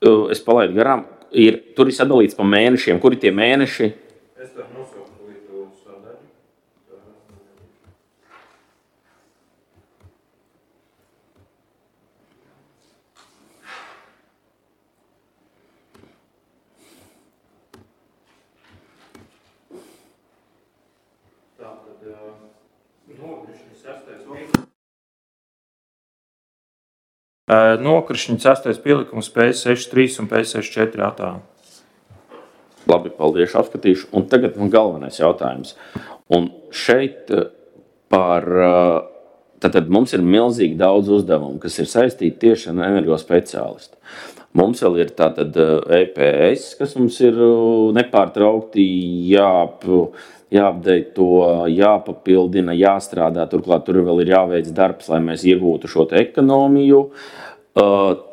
Es palaidu garām. Tur ir sadalīts pa mēnešiem. Kuri tie mēneši? Es tev nosauku līdz sadaļu. Tātad nokrišņi 6. Nokrišņi 6. pielikums PS63 un PS64 attēlu. Labi, paldies, apskatīšu. Un tagad man galvenais jautājums. Un šeit tātad mums ir milzīgi daudz uzdevumu, kas ir saistīti tieši ar energospeciālistu. Mums vēl ir tātad EPS, kas mums ir nepārtraukti jāapdeito, jāpapildina, jāstrādā. Turklāt tur vēl ir jāveic darbs, lai mēs iegūtu šo te ekonomiju.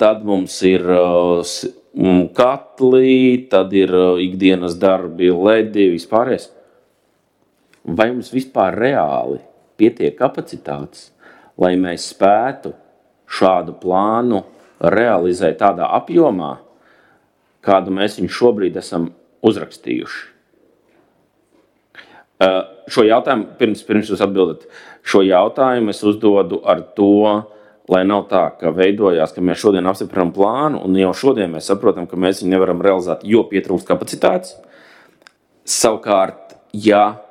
Tad mums ir katli, tad ir ikdienas darbi, ledi, vispārējais. Vai mums vispār reāli pietiek kapacitātes, lai mēs spētu šādu plānu realizēt tādā apjomā, kādu mēs viņu šobrīd esam uzrakstījuši? Šo jautājumu, pirms jūs atbildat, šo jautājumu es uzdodu ar to, lai nav tā, ka veidojās, ka mēs šodien apstiprinām plānu, un jau šodien mēs saprotam, ka mēs viņu nevaram realizēt, jo pietrūkst kapacitātes. Savukārt, ja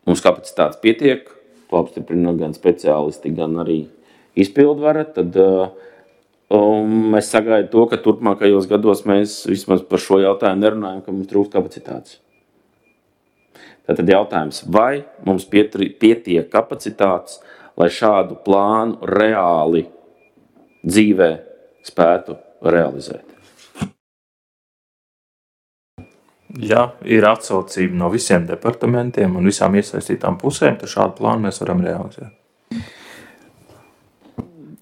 mums kapacitātes pietiek, to apstiprina gan speciālisti, gan arī izpildvara, tad es sagaidu to, ka turpmākajos gados mēs vismaz par šo jautājumu nerunājam, ka mums trūkst kapacitātes. Tātad jautājums, vai mums pietiek kapacitātes, lai šādu plānu reāli dzīvē spētu realizēt? Ja ir atsaucība no visiem departamentiem un visām iesaistītām pusēm, tad šādu plānu mēs varam realizēt.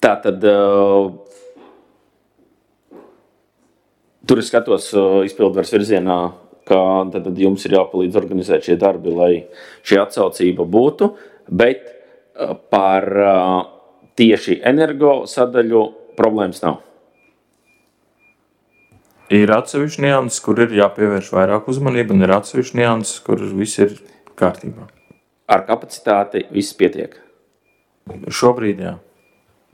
Tātad tur es skatos izpildvaras virzienā, ka tad jums ir jāpalīdz organizēt šie darbi, lai šī atsaucība būtu, bet par tieši energo sadaļu problēmas nav. Ir atsevišķi nianses, kur ir jāpievērš vairāk uzmanība, un ir atsevišķi nianses, kur viss ir kārtībā. Ar kapacitāti viss pietiek? Šobrīd, jā.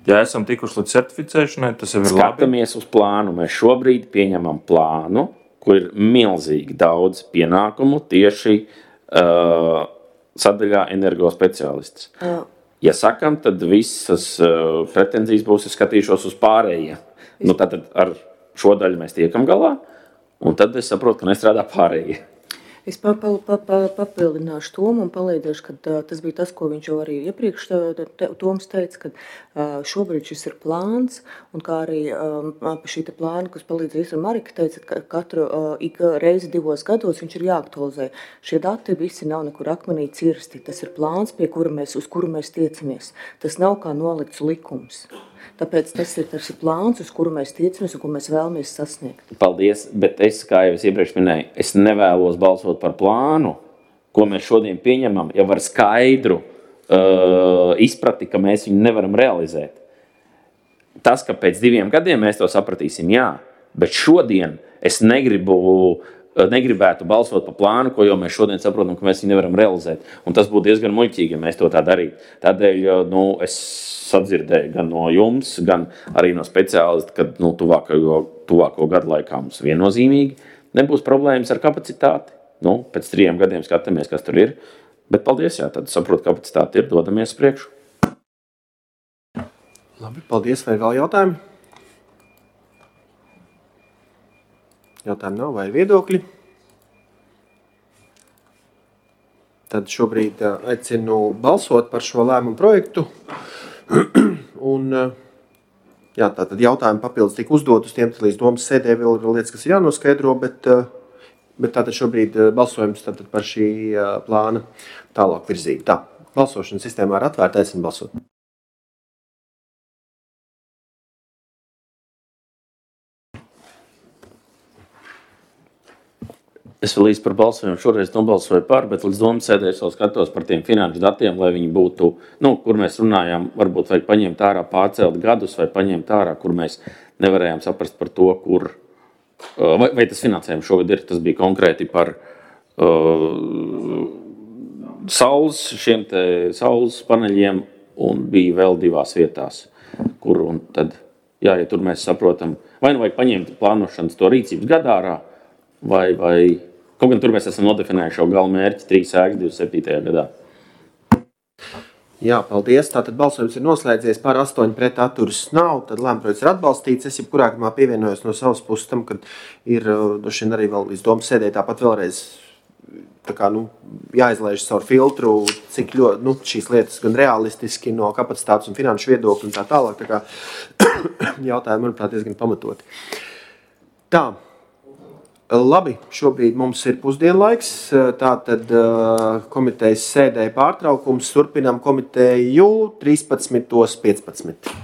Ja esam tikuši līdz certificēšanai, tas jau ir labi. Skatāmies uz plānu. Mēs šobrīd pieņemam plānu, kur ir milzīgi daudz pienākumu tieši sadaļā energospeciālists. Ja sakam, tad visas pretenzijas būs, es skatīšos uz pārējiem. Tātad ar šo daļu mēs tiekam galā, un tad es saprotu, ka nestrādā pārējie. Es papildināšu Tomu un palīdzēšu, ka tas bija tas, ko viņš jau arī iepriekš Toms teica, ka šobrīd šis ir plāns, un kā arī šī plāna, kas palīdz Īsra Marika teica, ka katru reizi 2 gados viņš ir jāaktualizē. Šie dati visi nav nekur akmenī cirsti. Tas ir plāns, uz kuru mēs tiecamies. Tas nav kā nolikts likums. Tāpēc tas ir plāns, uz kuru mēs tiecamies un ko mēs vēlamies sasniegt. Paldies, bet es, kā jau es iepriekš minēju, es nevēlos balsot par plānu, ko mēs šodien pieņemam, jau ar skaidru izprati, ka mēs viņu nevaram realizēt. Tas, ka pēc 2 gadiem mēs to sapratīsim, jā, bet šodien es negribētu balsot par plānu, ko jau mēs šodien saprotam, ka mēs viņu nevaram realizēt. Un tas būtu diezgan muļķīgi, ja mēs to tā darītu. Tādēļ es sadzirdēju gan no jums, gan arī no speciālista, ka tuvāko gadu laikā mums viennozīmīgi nebūs problēmas ar kapacitāti. Pēc 3 gadiem skatāmies, kas tur ir. Bet paldies, jā, tad saprotu, kapacitāte ir, dodamies priekšu. Labi, paldies. Vai vēl jautājumi? Jautājumi nav vai viedokļi? Tad šobrīd aicinu balsot par šo lēmumu projektu. Un Jā, tātad jautājumi papildus tika uzdot uz tiem, līdz domas sēdē vēl ir lietas, kas ir jānoskaidro, bet tātad šobrīd balsojums tātad par šī plāna tālāk virzību. Tā, balsošanas sistēmā ir atvērta, aicinu balsot. Es vēl īsti par balsojumu šoreiz nobalsoju par, bet līdz domas sēdē es vēl skatos par tiem finanšu datiem, lai viņi būtu, kur mēs runājām, varbūt vajag paņemt ārā pārcelt gadus vai paņemt ārā, kur mēs nevarējām saprast par to, kur, vai tas finansējums šogad ir, tas bija konkrēti par saules paneļiem un bija vēl 2 vietās, kur un tad, ja tur mēs saprotam, vai nu vajag paņemt plānošanas to rīcības gadā ārā, vai kaut gan tur mēs esam nodefinējuši jau gala mērķi 3 ēkas 27. gadā. Jā, paldies. Tātad balsojums ir noslēdzies, par 8 pret atturas nav, tad lēmprojekts ir atbalstīts. Es jebkurā gadījumā pievienojos no savas puses tam, kad ir došien arī vēl līdz domas sēdē tāpat vēlreiz jāizlaiž caur filtru, cik ļoti šīs lietas gan realistiski no kapacitātes un finanšu viedokļa un tā tālāk. Tā kā jautājumi, manuprāt, diezgan pamatoti. Tā. Labi, šobrīd mums ir pusdienlaiks, tātad komitejas sēdē pārtraukums, turpinām komiteju 13:15.